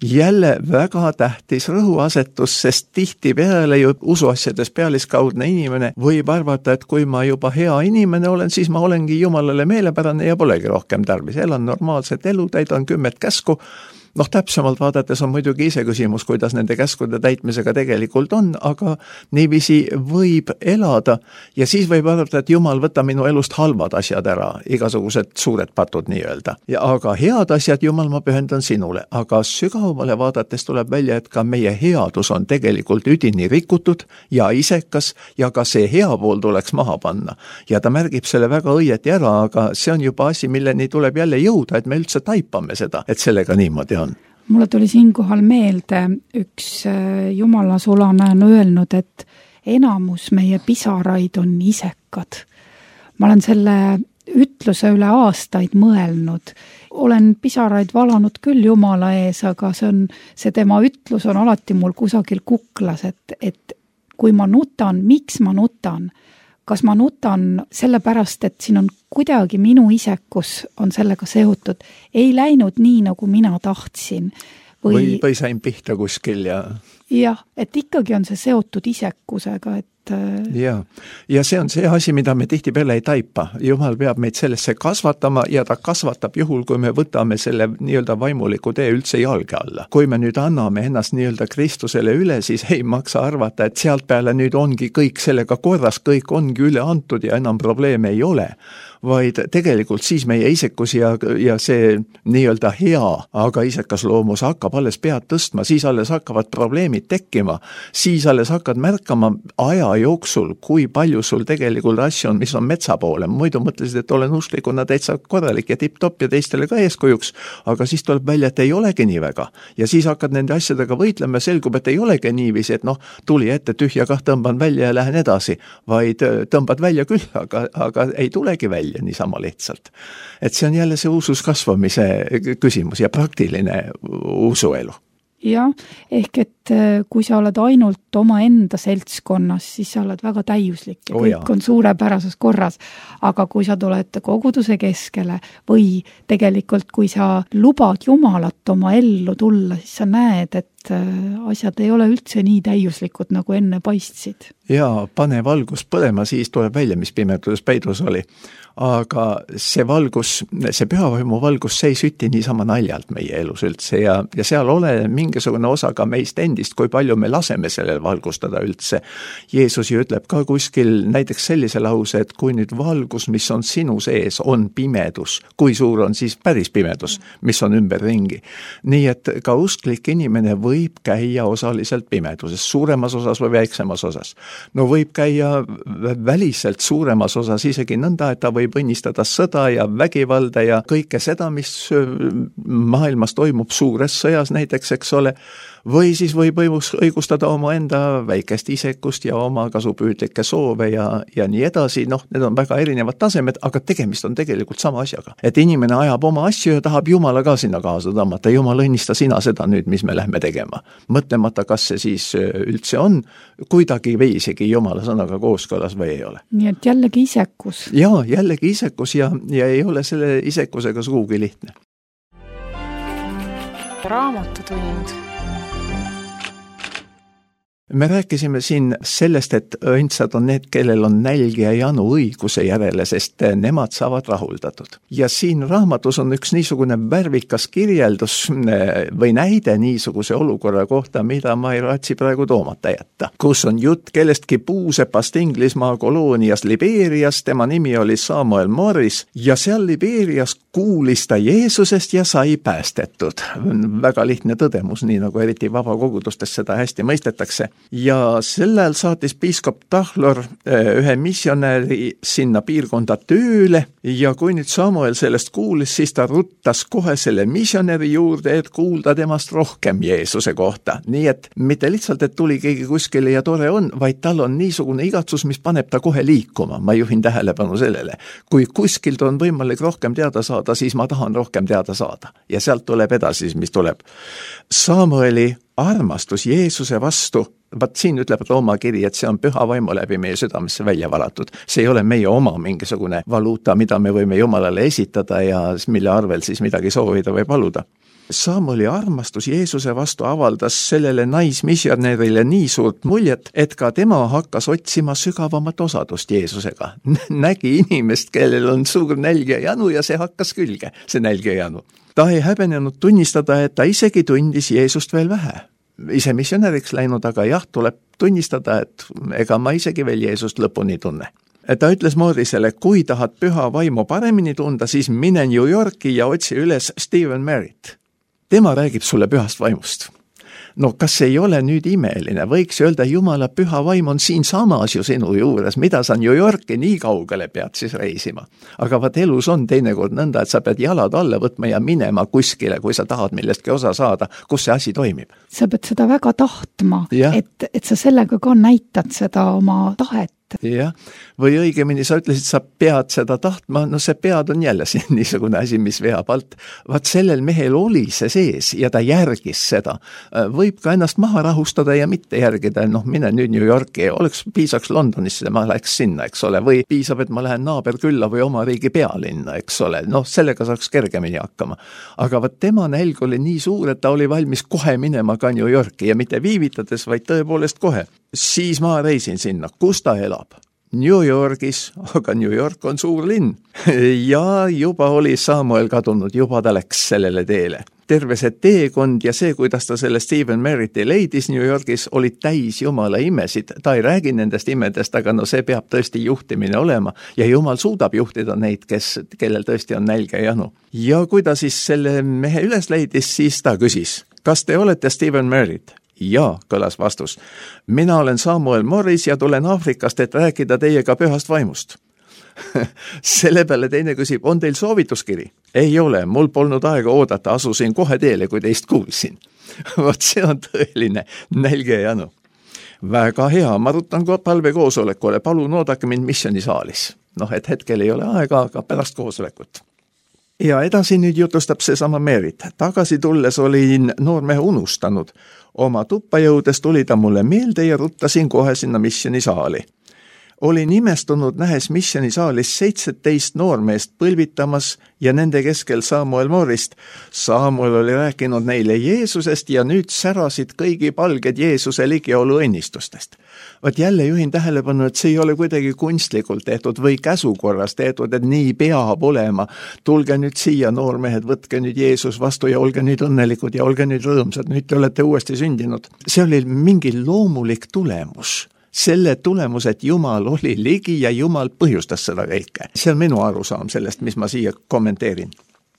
Jälle väga tähtis rõhuasetus, sest tihti peale ju usuasjades pealiskaudne inimene võib arvata, et kui ma juba hea inimene olen, siis ma olengi Jumalale meelepärane ja polegi rohkem tarvis. Elan normaalset elu, täidan kümmet käsku. Noh, täpsemalt vaadates on muidugi ise küsimus, kuidas nende käskude täitmisega tegelikult on, aga niiviisi võib elada ja siis võib arvata, et Jumal võtta minu elust halvad asjad ära, igasugused suured patud nii-öelda. Ja aga head asjad, Jumal, ma pühendan sinule, aga sügavamale vaadates tuleb välja, et ka meie headus on tegelikult üdini rikutud ja isekas ja ka see hea pool tuleks maha panna. Ja ta märgib selle väga õieti ära, aga see on juba asi, milleni tuleb jälle jõuda, et me üldse taipame seda, et sellega niimoodi on. Mulle tuli siinkohal meelde, üks Jumala sulane on öelnud, et enamus meie pisaraid on isekad. Ma olen selle ütluse üle aastaid mõelnud. Olen pisaraid valanud küll Jumala ees, aga see, on, see tema ütlus on alati mul kusagil kuklas, et, et kui ma nutan, miks ma nutan? Kas ma nutan sellepärast, et siin on kuidagi minu isekus on sellega seotud, ei läinud nii, nagu mina tahtsin. Või, või, või sain pihta kuskil ja... Jah, et ikkagi on see seotud isekusega, et... Ja. ja see on see asi, mida me tihtipeale ei taipa. Jumal peab meid sellesse kasvatama ja ta kasvatab juhul, kui me võtame selle nii-öelda vaimuliku tee üldse jalge alla. Kui me nüüd anname ennast nii-öelda Kristusele üle, siis ei maksa arvata, et sealt peale nüüd ongi kõik sellega korras, kõik ongi üle antud ja enam probleeme ei ole. Vaid tegelikult siis meie isekus ja, ja see nii-öelda hea, aga isekas loomus hakkab alles pead tõstma, siis alles hakkavad probleemid tekkima, siis alles hakkad märkama aja jooksul, kui palju sul tegelikult asju on, mis on metsa poole. Muidu mõtlesid, et olen usklikuna täitsa korralik ja tipp-topp ja teistele ka eeskujuks, aga siis tuleb välja, et ei olegi nii väga. Ja siis hakkad nende asjadega võitlema ja selgub, et ei olegi niiviisi, et noh, tuli ette tühja kah, tõmban välja ja lähen edasi, vaid tõmbad välja küll, aga, aga ei tulegi välja niisama lihtsalt. Et see on jälle see usus kasvamise küsimus ja praktiline usuelu. Jah, ehk et kui sa oled ainult oma enda seltskonnas, siis sa oled väga täiuslik ja kõik oh on suurepärases korras. Aga kui sa tuled koguduse keskele või tegelikult kui sa lubad Jumalat oma ellu tulla, siis sa näed, et et asjad ei ole üldse nii täiuslikud, nagu enne paistsid. Jaa, pane valgus põlema, siis tuleb välja, mis pimeduses peidus oli. Aga see valgus, see pühavaimu valgus, see ei süti niisama naljalt meie elus üldse ja, ja seal ole mingisugune osa ka meist endist, kui palju me laseme sellel valgustada üldse. Jeesus ju ütleb ka kuskil näiteks sellise lause, et kui nüüd valgus, mis on sinu sees, on pimedus, kui suur on siis päris pimedus, mis on ümber ringi. Nii et ka usklik inimene võib käia osaliselt pimeduses, suuremas osas või väiksemas osas. No võib käia väliselt suuremas osas isegi nõnda, et ta võib õnnistada sõda ja vägivalda ja kõike seda, mis maailmas toimub suures sõjas näiteks, eks ole, või siis võib õigustada oma enda väikest isekust ja oma kasupüüdlikke soove ja, ja nii edasi, noh, need on väga erinevad tasemed, aga tegemist on tegelikult sama asjaga. Et inimene ajab oma asju ja tahab Jumala ka sinna kaasa tõmmata, Jumal õnnista sina seda nüüd, mis me lähme tegema. Mõtlemata, kas see siis üldse on kuidagi või isegi Jumala sõnaga kooskõlas või ei ole. Nii et jällegi isekus. Jaa, jällegi isekus ja, ja ei ole selle isekusega sugugi lihtne. Raamatutund. Me rääkisime siin sellest, et õndsad on need, kellel on nälg ja janu õiguse järele, sest nemad saavad rahuldatud. Ja siin raamatus on üks niisugune värvikas kirjeldus või näide niisuguse olukorra kohta, mida ma ei raatsi praegu toomata jätta. Kus on jutt kellestki puusepast Inglismaa koloonias Liberias, tema nimi oli Samuel Morris ja seal Liberias kuulis ta Jeesusest ja sai päästetud. Väga lihtne tõdemus, nii nagu eriti vabakogudustes seda hästi mõistetakse. Ja sellel saatis piiskop Tahlor ühe missionäri sinna piirkonda tööle ja kui nüüd Samuel sellest kuulis, siis ta ruttas kohe selle missionäri juurde, et kuulda temast rohkem Jeesuse kohta. Nii et mitte lihtsalt, et tuli keegi kuskile ja tore on, vaid tal on niisugune igatsus, mis paneb ta kohe liikuma. Ma juhin tähelepanu sellele. Kui kuskilt on võimalik rohkem teada saada, siis ma tahan rohkem teada saada. Ja sealt tuleb edasi, mis tuleb. Samueli armastus Jeesuse vastu, vaat siin ütleb Rooma kiri, et see on püha vaimu läbi meie südamesse välja valatud. See ei ole meie oma mingisugune valuuta, mida me võime Jumalale esitada ja mille arvel siis midagi soovida või paluda. Samueli armastus Jeesuse vastu avaldas sellele naismissionärile nii suurt muljet, et ka tema hakkas otsima sügavamat osadust Jeesusega. Nägi inimest, kellel on suur nälg ja janu ja see hakkas külge, see nälg ja janu. Ta ei häbenenud tunnistada, et ta isegi tundis Jeesust veel vähe. Ise missionäriks läinud, aga jah, tuleb tunnistada, et ega ma isegi veel Jeesust lõpuni tunne. Ta ütles Morrisele, kui tahad püha vaimu paremini tunda, siis mine New Yorki ja otsi üles Stephen Merritt. Tema räägib sulle pühast vaimust. No kas ei ole nüüd imeline? Võiks öelda, Jumala püha vaim on siin samas ju sinu juures, mida sa New Yorki nii kaugele pead siis reisima. Aga vaat elus on teinekord nõnda, et sa pead jalad alla võtma ja minema kuskile, kui sa tahad millestki osa saada, kus see asi toimib. Sa pead seda väga tahtma, et, et sa sellega ka näitad seda oma tahet. Jah, või õigemini sa ütlesid, sa pead seda tahtma, no see pead on jälle siin niisugune asi, mis veab alt. Vaat sellel mehel oli see sees ja ta järgis seda. Võib ka ennast maha rahustada ja mitte järgida, noh mine nüüd New Yorki, oleks piisaks Londonisse, ma läheks sinna, eks ole, või piisab, et ma lähen naaberkülla või oma riigi pealinna, eks ole, noh sellega saaks kergemini hakkama. Aga vaat tema nälg oli nii suur, et ta oli valmis kohe minema ka New Yorki ja mitte viivitades, vaid tõepoolest kohe. Siis ma reisin sinna, kus ta elab? New Yorgis, aga New York on suur linn. Ja juba oli Samuel kadunud, juba ta läks sellele teele. Terve see teekond ja see, kuidas ta selle Stephen Merritti leidis New Yorgis, oli täis Jumala imesid. Ta ei räägi nendest imedest, aga no see peab tõesti juhtimine olema. Ja Jumal suudab juhtida neid, kes, kellel tõesti on nälg ja janu. Ja kui ta siis selle mehe üles leidis, siis ta küsis, kas te olete Stephen Merritt? Jaa, kõlas vastus. Mina olen Samuel Morris ja tulen Aafrikast, et rääkida teiega pühast vaimust. Selle peale teine küsib, on teil soovituskiri? Ei ole, mul polnud aega oodata, asusin kohe teele, kui teist kuulsin. Vot see on tõeline nälg ja janu. Väga hea, ma rutan palve koosolekule, palun oodake mind missionisaalis. Noh, et hetkel ei ole aega, aga pärast koosolekut. Ja edasi nüüd jutustab see sama Merit. Tagasi tulles olin noormehe unustanud. Oma tuppa jõudes tuli ta mulle meelde ja ruttasin kohe sinna missionisaali. olin imestunud nähes missioonisaalis seitseteist noormeest põlvitamas ja nende keskel Samuel Morist. Samuel oli rääkinud neile Jeesusest ja nüüd särasid kõigi palged Jeesuse ligiolu õnnistustest. Vaat jälle juhin tähelepanu, et see ei ole kuidagi kunstlikult tehtud või käsukorras tehtud, et nii peab olema. Tulge nüüd siia, noormehed, võtke nüüd Jeesus vastu ja olge nüüd õnnelikud ja olge nüüd rõõmsad, nüüd te olete uuesti sündinud. See oli mingi loomulik tulemus. Selle tulemus, et Jumal oli ligi ja Jumal põhjustas seda kõike. See on minu arusaam sellest, mis ma siia kommenteerin.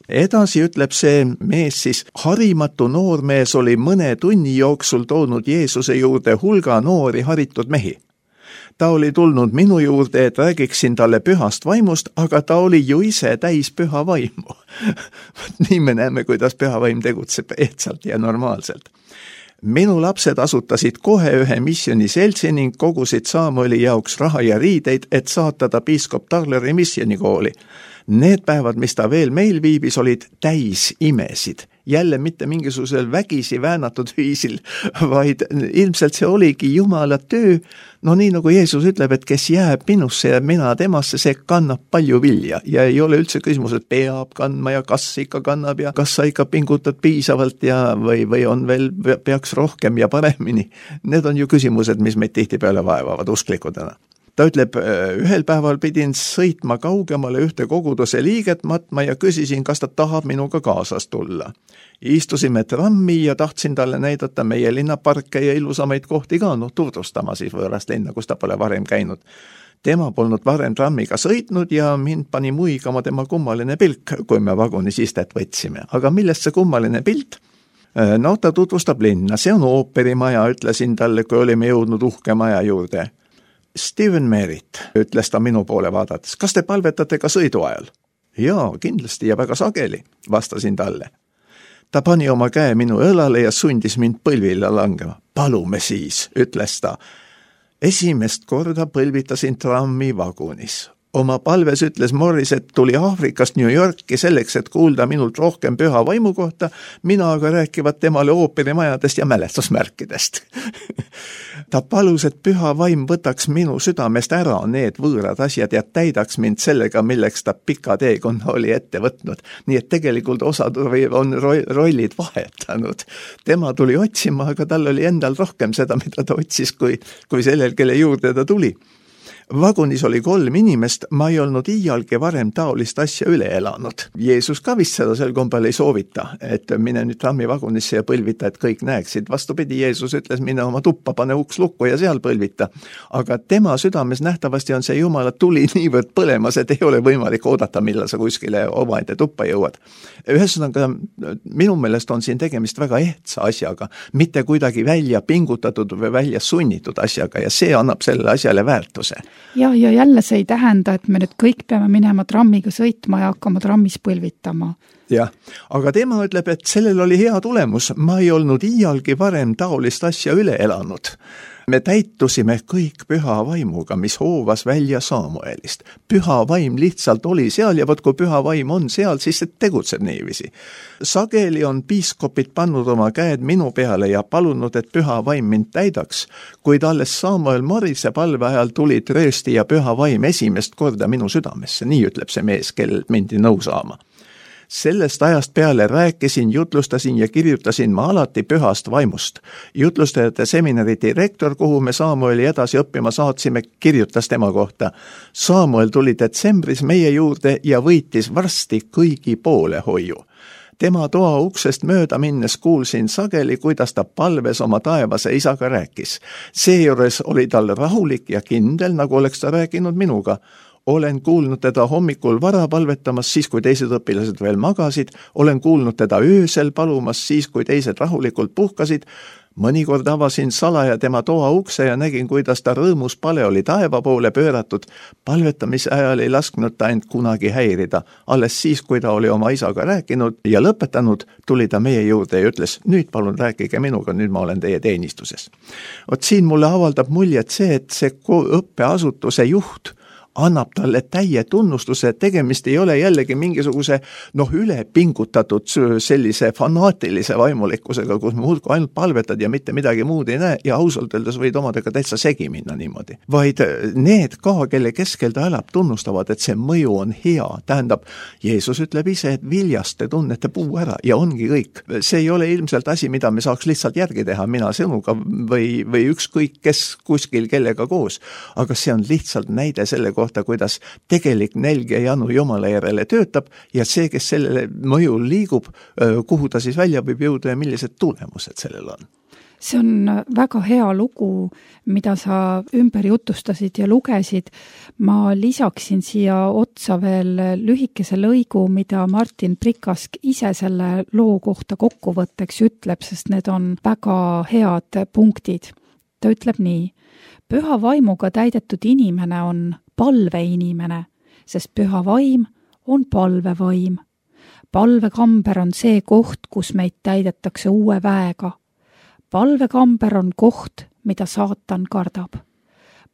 Edasi ütleb see mees siis, harimatu noormees oli mõne tunni jooksul toonud Jeesuse juurde hulga noori haritud mehi. Ta oli tulnud minu juurde, et räägiksin talle pühast vaimust, aga ta oli ju ise täis püha vaimu. Nii me näeme, kuidas püha vaim tegutseb ehtsalt ja normaalselt. Minu lapsed asutasid kohe ühe missioniseltsi ning kogusid Samueli jaoks raha ja riideid, et saatada piiskop Tarleri missionikooli. Need päevad, mis ta veel meil viibis, olid täis imesid. Jälle mitte mingisugusel vägisi väänatud viisil, vaid ilmselt see oligi Jumala töö. No nii nagu Jeesus ütleb, et kes jääb minusse ja mina temasse, see kannab palju vilja. Ja ei ole üldse küsimus, et peab kandma ja kas ikka kannab ja kas sa ikka pingutad piisavalt ja või, või on veel, peaks rohkem ja paremini. Need on ju küsimused, mis meid tihtipeale vaevavad usklikudena. Ta ütleb, ühel päeval pidin sõitma kaugemale ühte koguduse liiget matma ja küsisin, kas ta tahab minuga kaasas tulla. Istusime trammi ja tahtsin talle näidata meie linnaparke ja ilusamaid kohti ka, noh, tutvustama siis võõrast linna, kus ta pole varem käinud. Tema polnud varem trammiga sõitnud ja mind pani muigama tema kummaline pilk, kui me vagunis istet võtsime. Aga millest see kummaline pilt? No, ta tutvustab linna, see on ooperimaja, ütlesin talle, kui olime jõudnud uhke maja juurde. Steven Merritt, ütles ta minu poole vaadates, kas te palvetate ka sõidu ajal? Jaa, kindlasti ja väga sageli, vastasin talle. Ta pani oma käe minu õlale ja sundis mind põlvile langema. Palume siis, ütles ta. Esimest korda põlvitasin trammi vagunis. Oma palves ütles Morris, et tuli Aafrikast New Yorki selleks, et kuulda minult rohkem püha vaimu kohta, mina aga rääkivad temale ooperimajadest ja mälestusmärkidest. Ta palus, et püha vaim võtaks minu südamest ära need võõrad asjad ja täidaks mind sellega, milleks ta pika teekonna oli ette võtnud. Nii et tegelikult osad on rollid vahetanud. Tema tuli otsima, aga tal oli endal rohkem seda, mida ta otsis, kui, kui sellel, kelle juurde ta tuli. Vagunis oli kolm inimest, ma ei olnud iialgi varem taolist asja üle elanud. Jeesus ka vist seda sel kombel ei soovita, et mine nüüd trammi vagunisse ja põlvita, et kõik näeksid. Vastupidi, Jeesus ütles, mine oma tuppa, pane uks lukku ja seal põlvita. Aga tema südames nähtavasti on see Jumala tuli niivõrd põlemas, et ei ole võimalik oodata, millal sa kuskile omaette tuppa jõuad. Ühesõnaga, minu meelest on siin tegemist väga ehtsa asjaga, mitte kuidagi välja pingutatud või välja sunnitud asjaga ja see annab sellele asjale väärtuse. Ja, ja jälle see ei tähenda, et me nüüd kõik peame minema trammiga sõitma ja hakkama trammis põlvitama. Jah, aga tema ütleb, et sellel oli hea tulemus, ma ei olnud iialgi varem taolist asja üle elanud. Me täitusime kõik püha vaimuga, mis hoovas välja Samuelist. Püha vaim lihtsalt oli seal ja võt kui püha vaim on seal, siis see tegutseb niiviisi. Sageli on piiskopid pannud oma käed minu peale ja palunud, et püha vaim mind täidaks, kuid alles Samuel Morise palve ajal tuli tröösti ja püha vaim esimest korda minu südamesse, nii ütleb see mees, kellelt mindi nõu saama. Sellest ajast peale rääkisin, jutlustasin ja kirjutasin ma alati pühast vaimust. Jutlustajate seminari direktor, kuhu me Samueli edasi õppima saatsime, kirjutas tema kohta. Samuel tuli detsembris meie juurde ja võitis varsti kõigi poole hoiu. Tema toa uksest mööda minnes kuulsin sageli, kuidas ta palves oma taevase isaga rääkis. Seejuures oli tal rahulik ja kindel, nagu oleks ta rääkinud minuga. Olen kuulnud teda hommikul vara palvetamas, siis kui teised õpilased veel magasid. Olen kuulnud teda öösel palumas, siis kui teised rahulikult puhkasid. Mõnikord avasin salaja tema toa ukse ja nägin, kuidas ta rõõmus pale oli taeva poole pööratud. Palvetamise ajal ei lasknud ta end kunagi häirida. Alles siis, kui ta oli oma isaga rääkinud ja lõpetanud, tuli ta meie juurde ja ütles, nüüd palun rääkige minuga, nüüd ma olen teie teenistuses. Ot siin mulle avaldab muljet see, et see õppeasutuse juht annab talle täie tunnustuse, et tegemist ei ole jällegi mingisuguse noh, üle pingutatud sellise fanaatilise vaimulikkusega, kus muudku ainult palvetad ja mitte midagi muud ei näe ja ausalt öeldes võid omadega täitsa segi minna niimoodi. Vaid need ka, kelle keskel ta elab, tunnustavad, et see mõju on hea. Tähendab, Jeesus ütleb ise, et viljast te tunnete puu ära ja ongi kõik. See ei ole ilmselt asi, mida me saaks lihtsalt järgi teha, mina sinuga või, või ükskõik kes kuskil kellega koos. Aga see on lihtsalt näide selle kohta, kuidas tegelik nälg ja janu Jumala järele töötab ja see, kes sellele mõjul liigub, kuhu ta siis välja võib jõuda ja millised tulemused sellel on. See on väga hea lugu, mida sa ümber jutustasid ja lugesid. Ma lisaksin siia otsa veel lühikese lõigu, mida Martin Prikask ise selle loo kohta kokkuvõtteks ütleb, sest need on väga head punktid. Ta ütleb nii: püha vaimuga täidetud inimene on palveinimene, sest püha vaim on palvevaim. Palvekamber on see koht, kus meid täidetakse uue väega. Palvekamber on koht, mida saatan kardab.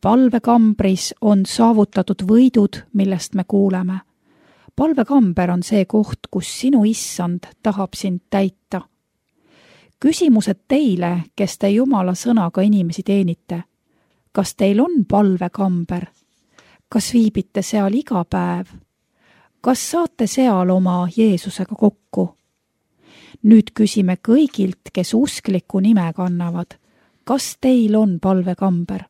Palvekambris on saavutatud võidud, millest me kuuleme. Palvekamber on see koht, kus sinu issand tahab sind täita. Küsimused teile, kes te Jumala sõnaga inimesi teenite. Kas teil on palvekamber? Kas viibite seal iga päev? Kas saate seal oma Jeesusega kokku? Nüüd küsime kõigilt, kes uskliku nime kannavad. Kas teil on palvekamber?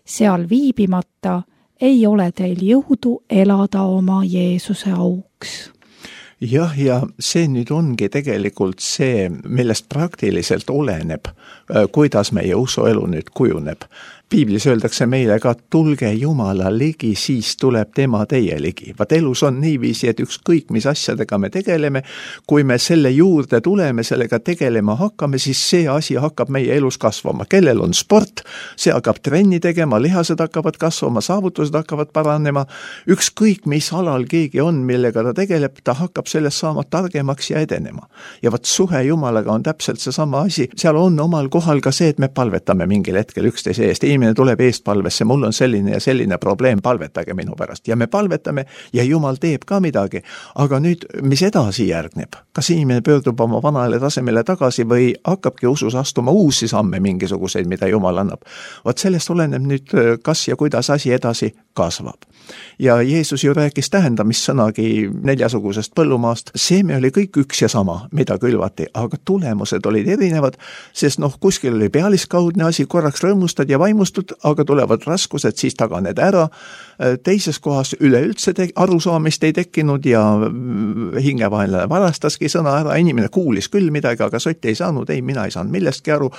Seal viibimata ei ole teil jõudu elada oma Jeesuse auks. Jah, ja see nüüd ongi tegelikult see, millest praktiliselt oleneb, kuidas meie usuelu nüüd kujuneb. Piiblis öeldakse meile ka, tulge Jumala ligi, siis tuleb tema teie ligi. Vaat elus on niiviisi, et ükskõik mis asjadega me tegeleme, kui me selle juurde tuleme, sellega tegelema hakkame, siis see asi hakkab meie elus kasvama. Kellel on sport, see hakkab trenni tegema, lihased hakkavad kasvama, saavutused hakkavad paranema. Ükskõik mis alal keegi on, millega ta tegeleb, ta hakkab sellest saama targemaks ja edenema. Ja vaat suhe Jumalaga on täpselt see sama asi. Seal on omal kohal ka see, et me palvetame mingil hetkel üksteise eest. Inimene tuleb eestpalvesse, mul on selline ja selline probleem, palvetage minu pärast. Ja me palvetame ja Jumal teeb ka midagi. Aga nüüd, mis edasi järgneb? Kas inimene pöördub oma vanale tasemele tagasi või hakkabki usus astuma uusi samme mingisuguseid, mida Jumal annab? Vaat sellest oleneb nüüd, kas ja kuidas asi edasi kasvab. Ja Jeesus ju rääkis tähendamissõnagi neljasugusest põllumaast. Seeme oli kõik üks ja sama, mida külvati, aga tulemused olid erinevad, sest noh, kuskil oli pealiskaudne asi, korraks rõõmustad ja vaimustad, aga tulevad raskused, siis taganed ära. Teises kohas üleüldse te- arusaamist ei tekkinud ja hingevaenlane varastaski sõna ära. Inimene kuulis küll midagi, aga sott ei saanud, ei, mina ei saanud millestki aru.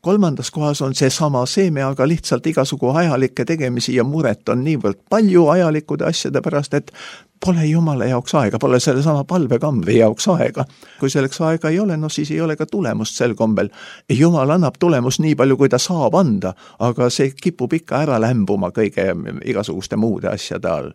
Kolmandas kohas on see sama seeme, aga lihtsalt igasugu ajalikke tegemisi ja muret on niivõrd palju ajalikude asjade pärast, et pole Jumala jaoks aega, pole selle sama palvekambri jaoks aega. Kui selleks aega ei ole, no siis ei ole ka tulemust sel kombel. Jumal annab tulemust nii palju, kui ta saab anda, aga see kipub ikka ära lämbuma kõige igasuguste muude asjade all.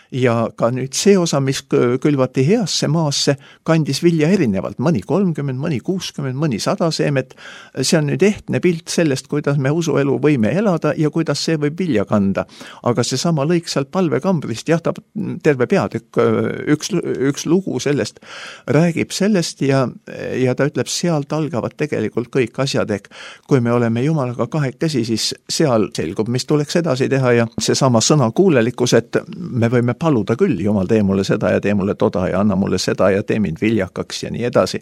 Ja ka nüüd see osa, mis külvati heasse maasse, kandis vilja erinevalt, mõni kolmkümmend, mõni kuuskümmend, mõni sada seemet. See on nüüd ehtne pilt sellest, kuidas me usuelu võime elada ja kuidas see võib vilja kanda. Aga see sama lõik sealt palvekambrist, jah, ta terve peatükk, üks, üks lugu sellest räägib sellest ja, ja ta ütleb, sealt algavad tegelikult kõik asjad, ehk kui me oleme Jumalaga kahekesi, siis seal selgub, mis tuleks edasi teha ja see sama sõna kuulelikkus, et me võime paluda küll, Jumal, tee mulle seda ja tee mulle toda ja anna mulle seda ja tee mind viljakaks ja nii edasi.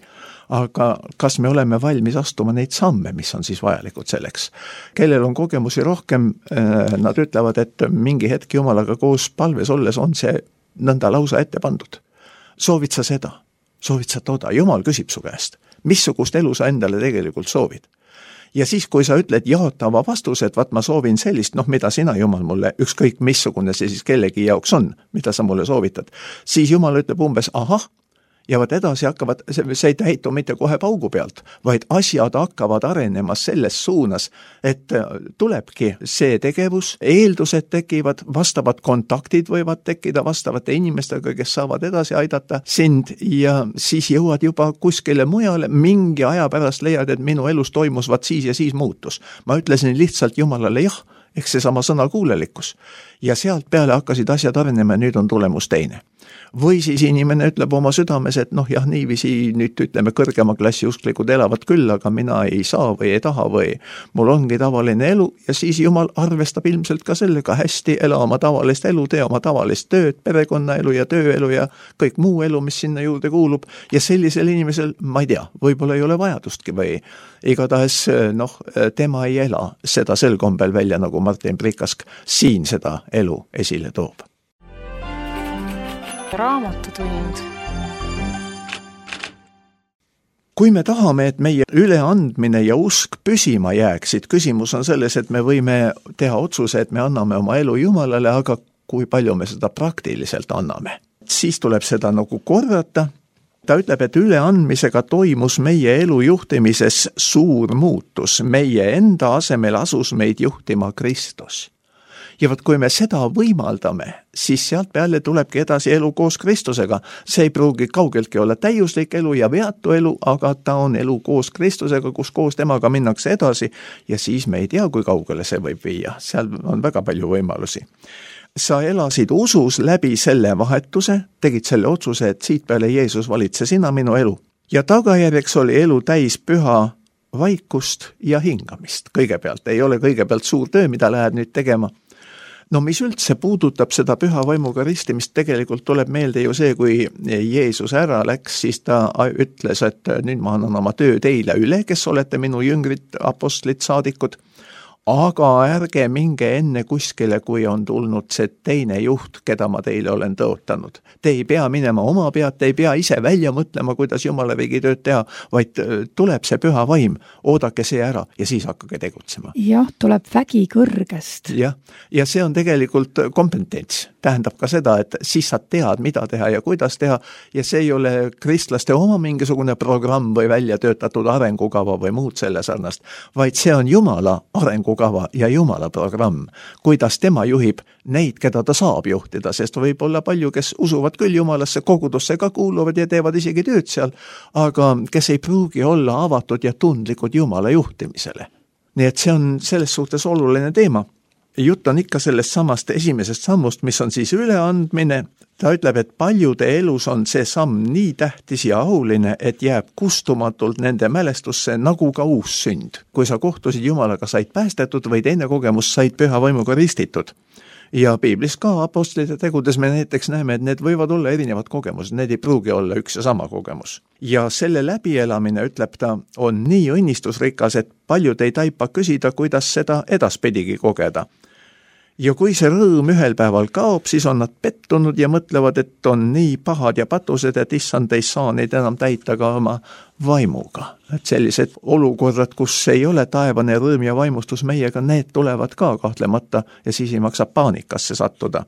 Aga kas me oleme valmis astuma neid samme, mis on siis vajalikud selleks? Kellel on kogemusi rohkem, nad ütlevad, et mingi hetk Jumalaga koos palves olles on see nõnda lausa ette pandud. Soovid sa seda? Soovid sa toda? Jumal küsib su käest. Missugust elu sa endale tegelikult soovid? Ja siis, kui sa ütled jaatava vastuse, et vaat ma soovin sellist, noh, mida sina, Jumal, mulle, ükskõik missugune see siis kellegi jaoks on, mida sa mulle soovitad, siis Jumal ütleb umbes, ahah, ja vaat edasi hakkavad, see ei täitu mitte kohe paugu pealt, vaid asjad hakkavad arenema selles suunas, et tulebki see tegevus, eeldused tekivad, vastavad kontaktid võivad tekkida vastavate inimestega, kes saavad edasi aidata sind ja siis jõuad juba kuskile mujale, mingi aja pärast leiad, et minu elus toimus vaat siis ja siis muutus. Ma ütlesin lihtsalt Jumalale jah, ehk seesama sõnakuulelikkus. Ja sealt peale hakkasid asjad arenema ja nüüd on tulemus teine. Või siis inimene ütleb oma südames, et noh jah, niiviisi nüüd ütleme kõrgema klassi usklikud elavad küll, aga mina ei saa või ei taha või mul ongi tavaline elu ja siis Jumal arvestab ilmselt ka sellega hästi, ela oma tavalist elu, tee oma tavalist tööd, perekonnaelu ja tööelu ja kõik muu elu, mis sinna juurde kuulub ja sellisel inimesel, ma ei tea, võib-olla ei ole vajadustki või igatahes noh, tema ei ela seda sel kombel välja, nagu Martin Prikask siin seda elu esile toob. Raamatutund. Kui me tahame, et meie üleandmine ja usk püsima jääksid, küsimus on selles, et me võime teha otsuse, et me anname oma elu Jumalale, aga kui palju me seda praktiliselt anname. Siis tuleb seda nagu korrata. Ta ütleb, et üleandmisega toimus meie elu juhtimises suur muutus. Meie enda asemel asus meid juhtima Kristus. Ja võt, kui me seda võimaldame, siis sealt peale tulebki edasi elu koos Kristusega. See ei pruugi kaugeltki olla täiuslik elu ja veatu elu, aga ta on elu koos Kristusega, kus koos temaga minnakse edasi ja siis me ei tea, kui kaugele see võib viia. Seal on väga palju võimalusi. Sa elasid usus läbi selle vahetuse, tegid selle otsuse, et siit peale Jeesus valitse sina minu elu. Ja tagajärjeks oli elu täis püha vaikust ja hingamist. Kõigepealt ei ole kõigepealt suur töö, mida lähed nüüd tegema. No mis üldse puudutab seda püha vaimuga ristimist, tegelikult tuleb meelde ju see, kui Jeesus ära läks, siis ta ütles, et nüüd ma annan oma töö teile üle, kes olete minu jüngrid, apostlid, saadikud, aga ärge minge enne kuskile, kui on tulnud see teine juht, keda ma teile olen tõotanud. Te ei pea minema oma pead, te ei pea ise välja mõtlema, kuidas Jumala riigi tööd teha, vaid tuleb see püha vaim, oodake see ära ja siis hakkage tegutsema. Jah, tuleb vägi kõrgest. Jah, ja see on tegelikult kompetents. Tähendab ka seda, et siis sa tead, mida teha ja kuidas teha ja see ei ole kristlaste oma mingisugune programm või välja töötatud arengukava või muud selle sarnast, vaid see on Jumala arengukava ja Jumala programm, kuidas tema juhib neid, keda ta saab juhtida, sest võib olla palju, kes usuvad küll Jumalasse, kogudusse ka kuuluvad ja teevad isegi tööd seal, aga kes ei pruugi olla avatud ja tundlikud Jumala juhtimisele. Nii et see on selles suhtes oluline teema. Jutt on ikka sellest samast esimesest sammust, mis on siis üleandmine. Ta ütleb, et paljude elus on see samm nii tähtis ja auline, et jääb kustumatult nende mälestusse nagu ka uus sünd. Kui sa kohtusid Jumalaga, said päästetud või teine kogemus, said püha vaimuga ristitud. Ja piiblis ka apostlite tegudes me näiteks näeme, et need võivad olla erinevad kogemused, need ei pruugi olla üks ja sama kogemus. Ja selle läbielamine, ütleb ta, on nii õnnistusrikas, et paljud ei taipa küsida, kuidas seda edaspidigi kogeda. Ja kui see rõõm ühel päeval kaob, siis on nad pettunud ja mõtlevad, et on nii pahad ja patused, et issand ei saa neid enam täita ka oma vaimuga. Et sellised olukorrad, kus ei ole taevane rõõm ja vaimustus meiega, need tulevad ka kahtlemata ja siis ei maksa paanikasse sattuda.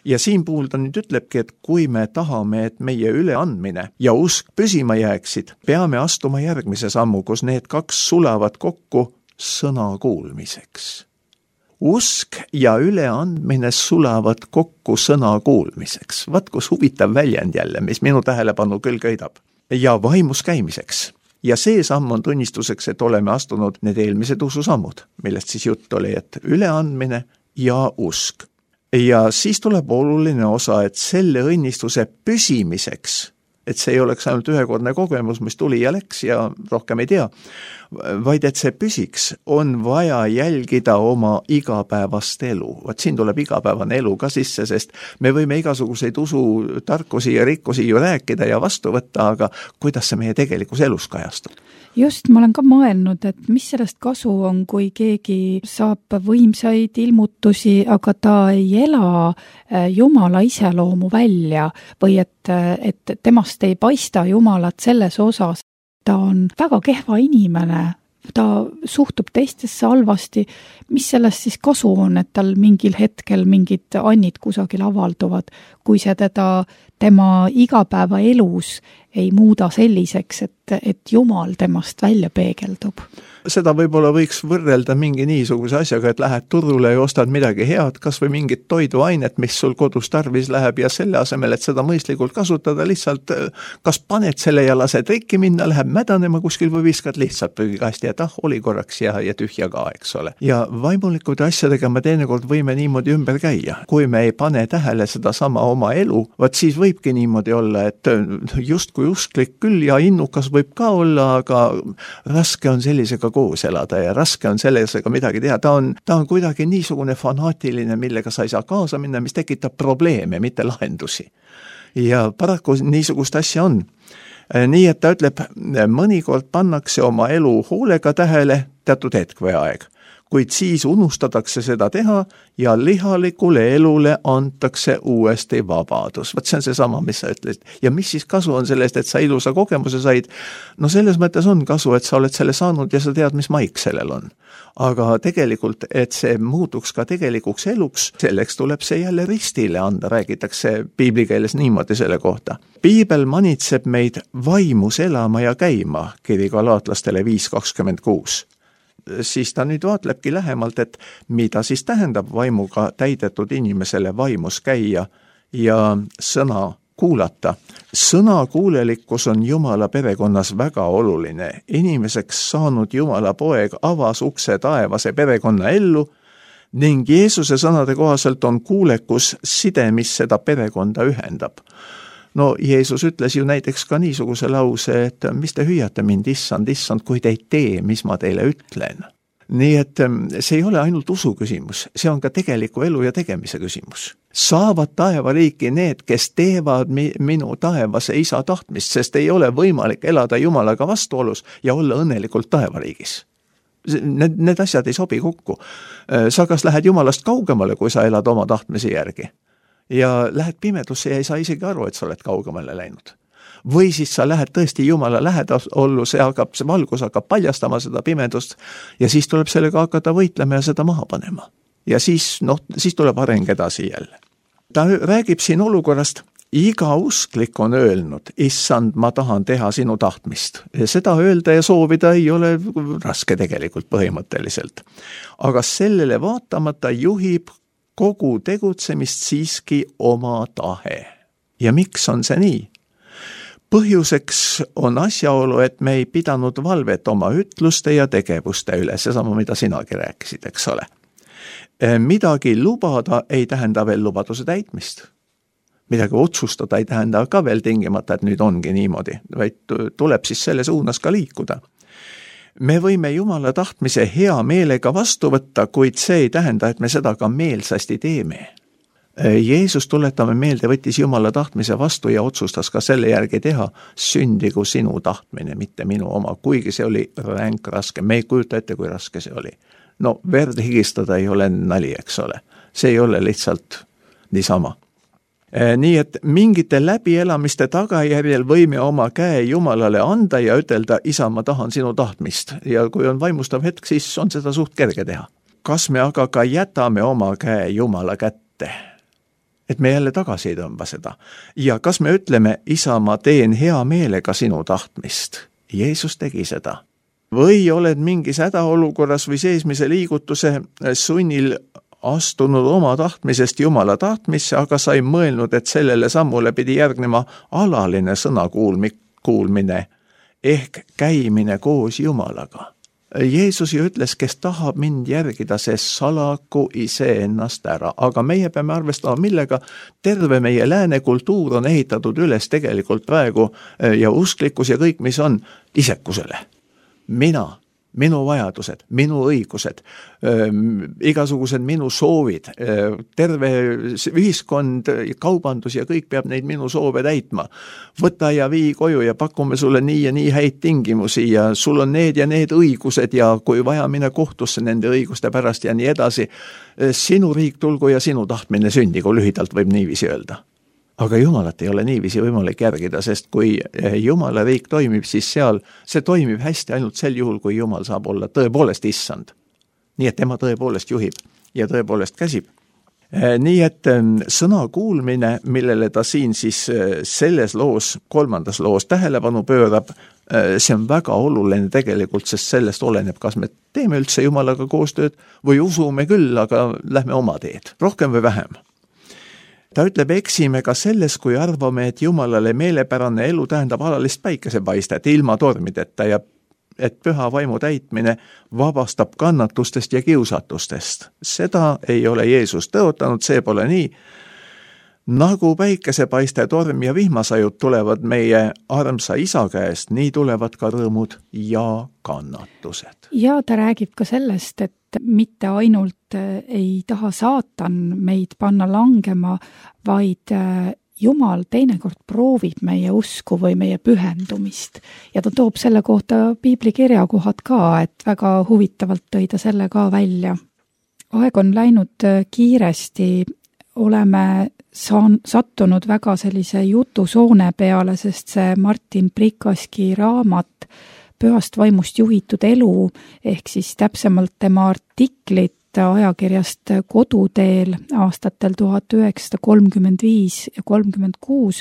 Ja siin puhul ta nüüd ütlebki, et kui me tahame, et meie üleandmine ja usk püsima jääksid, peame astuma järgmise sammu, kus need kaks sulavad kokku sõna kuulmiseks. Usk ja üleandmine sulavad kokku sõna kuulmiseks. Vaat kus huvitav väljend jälle, mis minu tähelepanu küll köidab. Ja vaimus käimiseks. Ja see samm on tunnistuseks, et oleme astunud need eelmised ususammud, millest siis jutt oli, et üleandmine ja usk. Ja siis tuleb oluline osa, et selle õnnistuse püsimiseks, et see ei oleks ainult ühekordne kogemus, mis tuli ja läks ja rohkem ei tea, vaid et see püsiks, on vaja jälgida oma igapäevast elu. Vaat siin tuleb igapäevane elu ka sisse, sest me võime igasuguseid usu tarkusi ja rikkusi ju rääkida ja vastu võtta, aga kuidas see meie tegelikus elus kajastub? Just, ma olen ka mõelnud, et mis sellest kasu on, kui keegi saab võimsaid ilmutusi, aga ta ei ela Jumala iseloomu välja või et, et temast ei paista Jumalat selles osas. Ta on väga kehva inimene, ta suhtub teistesse halvasti. Mis sellest siis kasu on, et tal mingil hetkel mingid annid kusagil avalduvad, kui see teda tema igapäevaelus ei muuda selliseks, et, et Jumal temast välja peegeldub. Seda võib-olla võiks võrrelda mingi niisuguse asjaga, et lähed turule ja ostad midagi head, kas või mingit toiduainet, mis sul kodus tarvis läheb ja selle asemel, et seda mõistlikult kasutada, lihtsalt kas paned selle ja lased rikki minna, läheb mädanema kuskil või viskad lihtsalt prügikasti, et ah, oli korraks ja, ja tühja ka, eks ole. Ja vaimulikud asjadega me teinekord võime niimoodi ümber käia. Kui me ei pane tähele seda sama oma elu, vaat siis võibki niimoodi olla, et just kui usklik küll ja innukas võib ka olla, aga raske on sellisega koos elada ja raske on sellisega midagi teha. Ta on, ta on kuidagi niisugune fanaatiline, millega sa ei saa kaasa minna, mis tekitab probleeme, mitte lahendusi. Ja paraku niisugust asja on. Nii, et ta ütleb, mõnikord pannakse oma elu hoolega tähele teatud hetk või aeg, kuid siis unustatakse seda teha ja lihalikule elule antakse uuesti vabadus. Vaat see on see sama, mis sa ütlesid. Ja mis siis kasu on sellest, et sa ilusa kogemuse said? No selles mõttes on kasu, et sa oled selle saanud ja sa tead, mis maik sellel on. Aga tegelikult, et see muutuks ka tegelikuks eluks, selleks tuleb see jälle ristile anda, räägitakse piiblikeeles niimoodi selle kohta. Piibel manitseb meid vaimus elama ja käima, kiri Galaatlastele viis kakskümmend kuus. Siis ta nüüd vaatlebki lähemalt, et mida siis tähendab vaimuga täidetud inimesele vaimus käia ja sõna kuulata. Sõna kuulelikkus on Jumala perekonnas väga oluline. Inimeseks saanud Jumala poeg avas ukse taevase perekonna ellu ning Jeesuse sõnade kohaselt on kuulekus side, mis seda perekonda ühendab. No Jeesus ütles ju näiteks ka niisuguse lause, et mis te hüüate mind, issand, issand, kui te ei tee, mis ma teile ütlen. Nii et see ei ole ainult usu küsimus, see on ka tegeliku elu ja tegemise küsimus. Saavad taevariiki need, kes teevad mi- minu taevase isa tahtmist, sest ei ole võimalik elada Jumalaga vastuolus ja olla õnnelikult taevariigis. Need, need asjad ei sobi kokku. Sa kas lähed Jumalast kaugemale, kui sa elad oma tahtmise järgi. Ja lähed pimedusse ja ei saa isegi aru, et sa oled kaugemale läinud. Või siis sa lähed tõesti Jumala lähedas ollu, see, hakkab, see valgus hakkab paljastama seda pimedust ja siis tuleb sellega hakata võitlema ja seda maha panema. Ja siis, noh, siis tuleb areng edasi jälle. Ta räägib siin olukorrast, iga usklik on öelnud, issand, ma tahan teha sinu tahtmist. Ja seda öelda ja soovida ei ole raske tegelikult põhimõtteliselt. Aga sellele vaatamata juhib kogu tegutsemist siiski oma tahe. Ja miks on see nii? Põhjuseks on asjaolu, et me ei pidanud valvet oma ütluste ja tegevuste üle, seesama, mida sinagi rääkisid, eks ole. Midagi lubada ei tähenda veel lubaduse täitmist. Midagi otsustada ei tähenda ka veel tingimata, et nüüd ongi niimoodi, vaid tuleb siis selle suunas ka liikuda. Me võime Jumala tahtmise hea meelega vastu võtta, kuid see ei tähenda, et me seda ka meelsasti teeme. Jeesus, tuletame meelde, võttis Jumala tahtmise vastu ja otsustas ka selle järgi teha, sündigu sinu tahtmine, mitte minu oma, kuigi see oli ränk raske. Me ei kujuta ette, kui raske see oli. No verd higistada ei ole nali, eks ole. See ei ole lihtsalt niisama. Nii et mingite läbielamiste tagajärjel võime oma käe Jumalale anda ja ütelda, isa, ma tahan sinu tahtmist. Ja kui on vaimustav hetk, siis on seda suht kerge teha. Kas me aga ka jätame oma käe Jumala kätte? Et me jälle tagasi ei tõmba seda. Ja kas me ütleme, isa, ma teen hea meelega sinu tahtmist? Jeesus tegi seda. Või oled mingis hädaolukorras või seesmise liigutuse sunnil astunud oma tahtmisest Jumala tahtmisse, aga sa ei mõelnud, et sellele sammule pidi järgnema alaline sõna kuulmine ehk käimine koos Jumalaga. Jeesus ju ütles, kes tahab mind järgida, see salaku ise ennast ära, aga meie peame arvestama, millega terve meie lääne kultuur on ehitatud üles tegelikult praegu ja usklikkus ja kõik, mis on isekusele. Mina, minu vajadused, minu õigused, igasugused minu soovid, terve ühiskond, kaubandus ja kõik peab neid minu soove täitma. Võta ja vii koju ja pakume sulle nii ja nii häid tingimusi ja sul on need ja need õigused ja kui vaja mine kohtusse nende õiguste pärast ja nii edasi. Sinu riik tulgu ja sinu tahtmine sündigu, lühidalt võib niiviisi öelda. Aga Jumalat ei ole niiviisi võimalik järgida, sest kui Jumala riik toimib, siis seal see toimib hästi ainult sel juhul, kui Jumal saab olla tõepoolest issand. Nii et tema tõepoolest juhib ja tõepoolest käsib. Nii et sõna kuulmine, millele ta siin siis selles loos, kolmandas loos tähelepanu pöörab, see on väga oluline tegelikult, sest sellest oleneb, kas me teeme üldse Jumalaga koostööd või usume küll, aga lähme oma teed, rohkem või vähem. Ta ütleb, eksime ka selles, kui arvame, et Jumalale meelepärane elu tähendab alalist päikesepaistet ilma tormideta ja et püha vaimu täitmine vabastab kannatustest ja kiusatustest. Seda ei ole Jeesus tõotanud, see pole nii. Nagu päikesepaiste, torm ja vihmasajud tulevad meie armsa isa käest, nii tulevad ka rõõmud ja kannatused. Ja ta räägib ka sellest, et mitte ainult ei taha saatan meid panna langema, vaid Jumal teinekord proovib meie usku või meie pühendumist ja ta toob selle kohta piibli kirjakohad ka, et väga huvitavalt tõi ta selle ka välja. Aeg on läinud kiiresti, oleme saan, sattunud väga sellise jutusoone peale, sest see Martin Prikaski raamat Pühast vaimust juhitud elu ehk siis täpsemalt tema artiklit ajakirjast Koduteel aastatel tuhat üheksasada kolmkümmend viis ja kolmkümmend kuus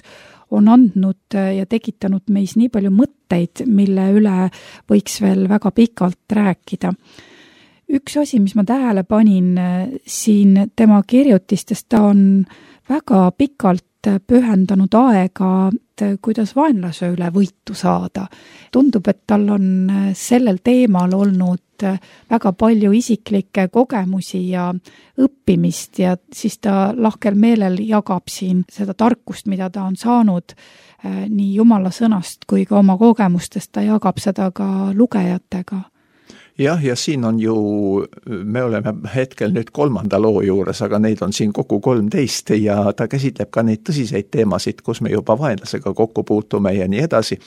on andnud ja tekitanud meis nii palju mõtteid, mille üle võiks veel väga pikalt rääkida. Üks asi, mis ma tähele panin siin tema kirjutistest, ta on väga pikalt pühendanud aega, kuidas vaenlase üle võitu saada. Tundub, et tal on sellel teemal olnud väga palju isiklikke kogemusi ja õppimist ja siis ta lahkel meelel jagab siin seda tarkust, mida ta on saanud nii Jumala sõnast kui ka oma kogemustest, ta jagab seda ka lugejatega. Jah, ja siin on ju, me oleme hetkel nüüd kolmanda loo juures, aga neid on siin kokku kolmteist ja ta käsitleb ka neid tõsiseid teemasid, kus me juba vaenlasega kokku puutume ja nii edasi.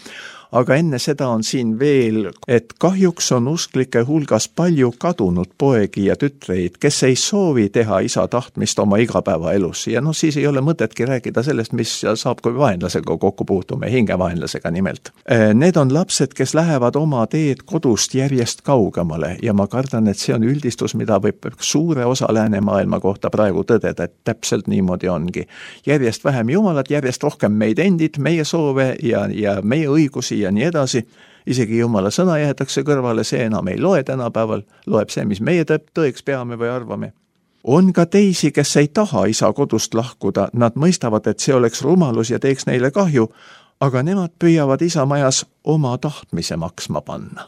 Aga enne seda on siin veel, et kahjuks on usklike hulgas palju kadunud poegi ja tütreid, kes ei soovi teha isa tahtmist oma igapäevaelus. Ja no siis ei ole mõtetki rääkida sellest, mis saab, kui vaenlasega kokku puutume, hingevaenlasega nimelt. Need on lapsed, kes lähevad oma teed kodust järjest kaugemale ja ma kardan, et see on üldistus, mida võib suure osa läänemaailma kohta praegu tõdeda, et täpselt niimoodi ongi. Järjest vähem Jumalat, järjest rohkem meid endid, meie soove ja, ja meie õigusi ja nii edasi. Isegi Jumala sõna jäetakse kõrvale, see enam ei loe tänapäeval, loeb see, mis meie tõeks peame või arvame. On ka teisi, kes ei taha isa kodust lahkuda, nad mõistavad, et see oleks rumalus ja teeks neile kahju, aga nemad püüavad isa majas oma tahtmise maksma panna.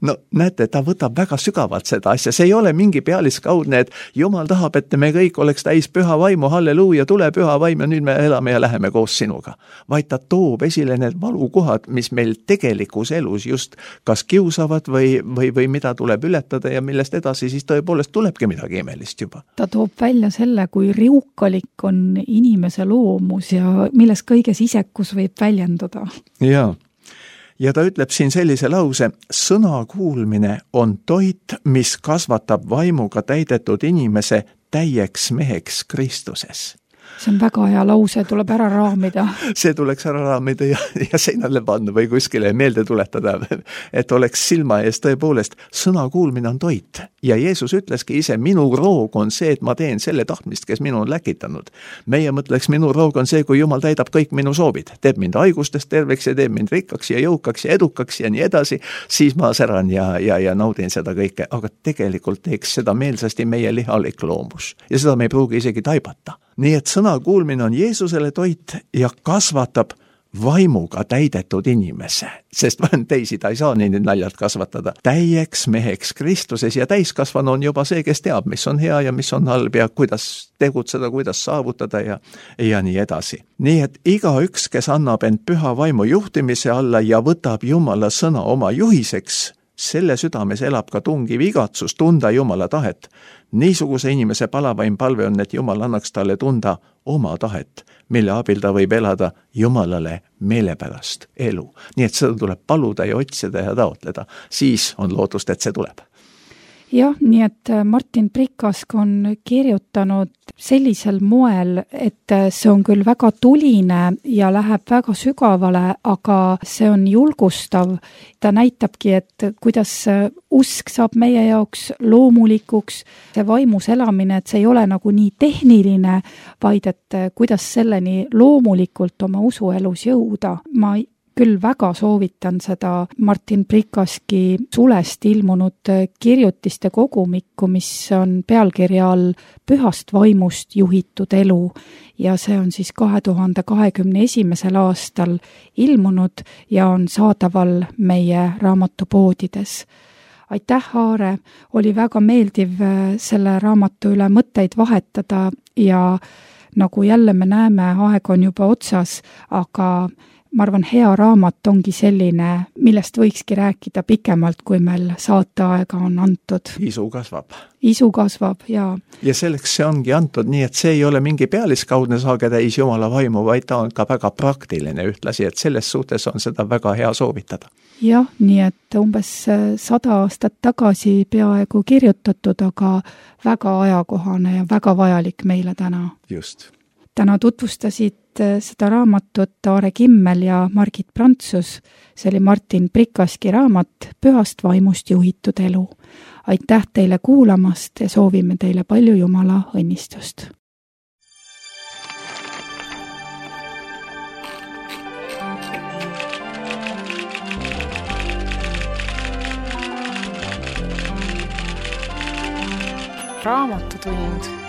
No näete, ta võtab väga sügavalt seda asja, see ei ole mingi pealiskaudne, et Jumal tahab, et me kõik oleks täis püha vaimu, halleluuja, tule püha vaim ja nüüd me elame ja läheme koos sinuga. Vaid ta toob esile need valukohad, mis meil tegelikus elus just kas kiusavad või, või, või mida tuleb ületada ja millest edasi siis tõepoolest tulebki midagi imelist juba. Ta toob välja selle, kui riukalik on inimese loomus ja milles kõiges isekus võib väljenduda. Jaa. Ja ta ütleb siin sellise lause, sõna kuulmine on toit, mis kasvatab vaimuga täidetud inimese täieks meheks Kristuses. See on väga hea lause, tuleb ära raamida. See tuleks ära raamida ja, ja seinale panna või kuskile meelde tuletada, et oleks silma ees tõepoolest, sõna kuulmine on toit. Ja Jeesus ütleski ise, minu roog on see, et ma teen selle tahtmist, kes minu on läkitanud. Meie mõtleks, minu roog on see, kui Jumal täidab kõik minu soovid. Teeb mind haigustest terveks ja teeb mind rikkaks ja jõukaks ja edukaks ja nii edasi. Siis ma säran ja, ja, ja naudin seda kõike. Aga tegelikult teeks seda meelsasti meie lihalik loomus. Ja seda me ei pruugi isegi taibata. Nii et sõna kuulmine on Jeesusele toit ja kasvatab vaimuga täidetud inimese, sest teisi ta ei saa nii naljalt kasvatada. Täieks meheks Kristuses ja täiskasvanu on juba see, kes teab, mis on hea ja mis on halb ja kuidas tegutseda, kuidas saavutada ja, ja nii edasi. Nii et igaüks, kes annab end püha vaimu juhtimise alla ja võtab Jumala sõna oma juhiseks, selle südames elab ka tungiv igatsus tunda Jumala tahet. Niisuguse inimese palavaim palve on, et Jumal annaks talle tunda oma tahet, mille abil ta võib elada Jumalale meelepärast elu. Nii et seda tuleb paluda ja otsida ja taotleda. Siis on lootust, et see tuleb. jah, nii et Martin Prikask on kirjutanud sellisel moel, et see on küll väga tuline ja läheb väga sügavale, aga see on julgustav. Ta näitabki, et kuidas usk saab meie jaoks loomulikuks, see vaimus elamine, et see ei ole nagu nii tehniline, vaid et kuidas selleni loomulikult oma usuelus jõuda. Ma küll väga soovitan seda Martin Prikaski sulest ilmunud kirjutiste kogumikku, mis on pealkirja all Pühast vaimust juhitud elu ja see on siis kahe tuhande kahekümne esimesel aastal ilmunud ja on saadaval meie raamatupoodides. Aitäh, Aare, oli väga meeldiv selle raamatu üle mõtteid vahetada ja nagu jälle me näeme, aeg on juba otsas, aga ma arvan, hea raamat ongi selline, millest võikski rääkida pikemalt, kui meil saateaega on antud. Isu kasvab. Isu kasvab, jaa. Ja selleks see ongi antud, nii et see ei ole mingi pealiskaudne saage täis Jumala vaimu, vaid ta on ka väga praktiline ühtlasi, et selles suhtes on seda väga hea soovitada. Jah, nii et umbes sada aastat tagasi peaaegu kirjutatud, aga väga ajakohane ja väga vajalik meile täna. Just. Täna tutvustasid seda raamatut Aare Kimmel ja Margit Prantsus. See oli Martin Prikaski raamat Pühast vaimust juhitud elu. Aitäh teile kuulamast ja soovime teile palju Jumala õnnistust. Raamatutund.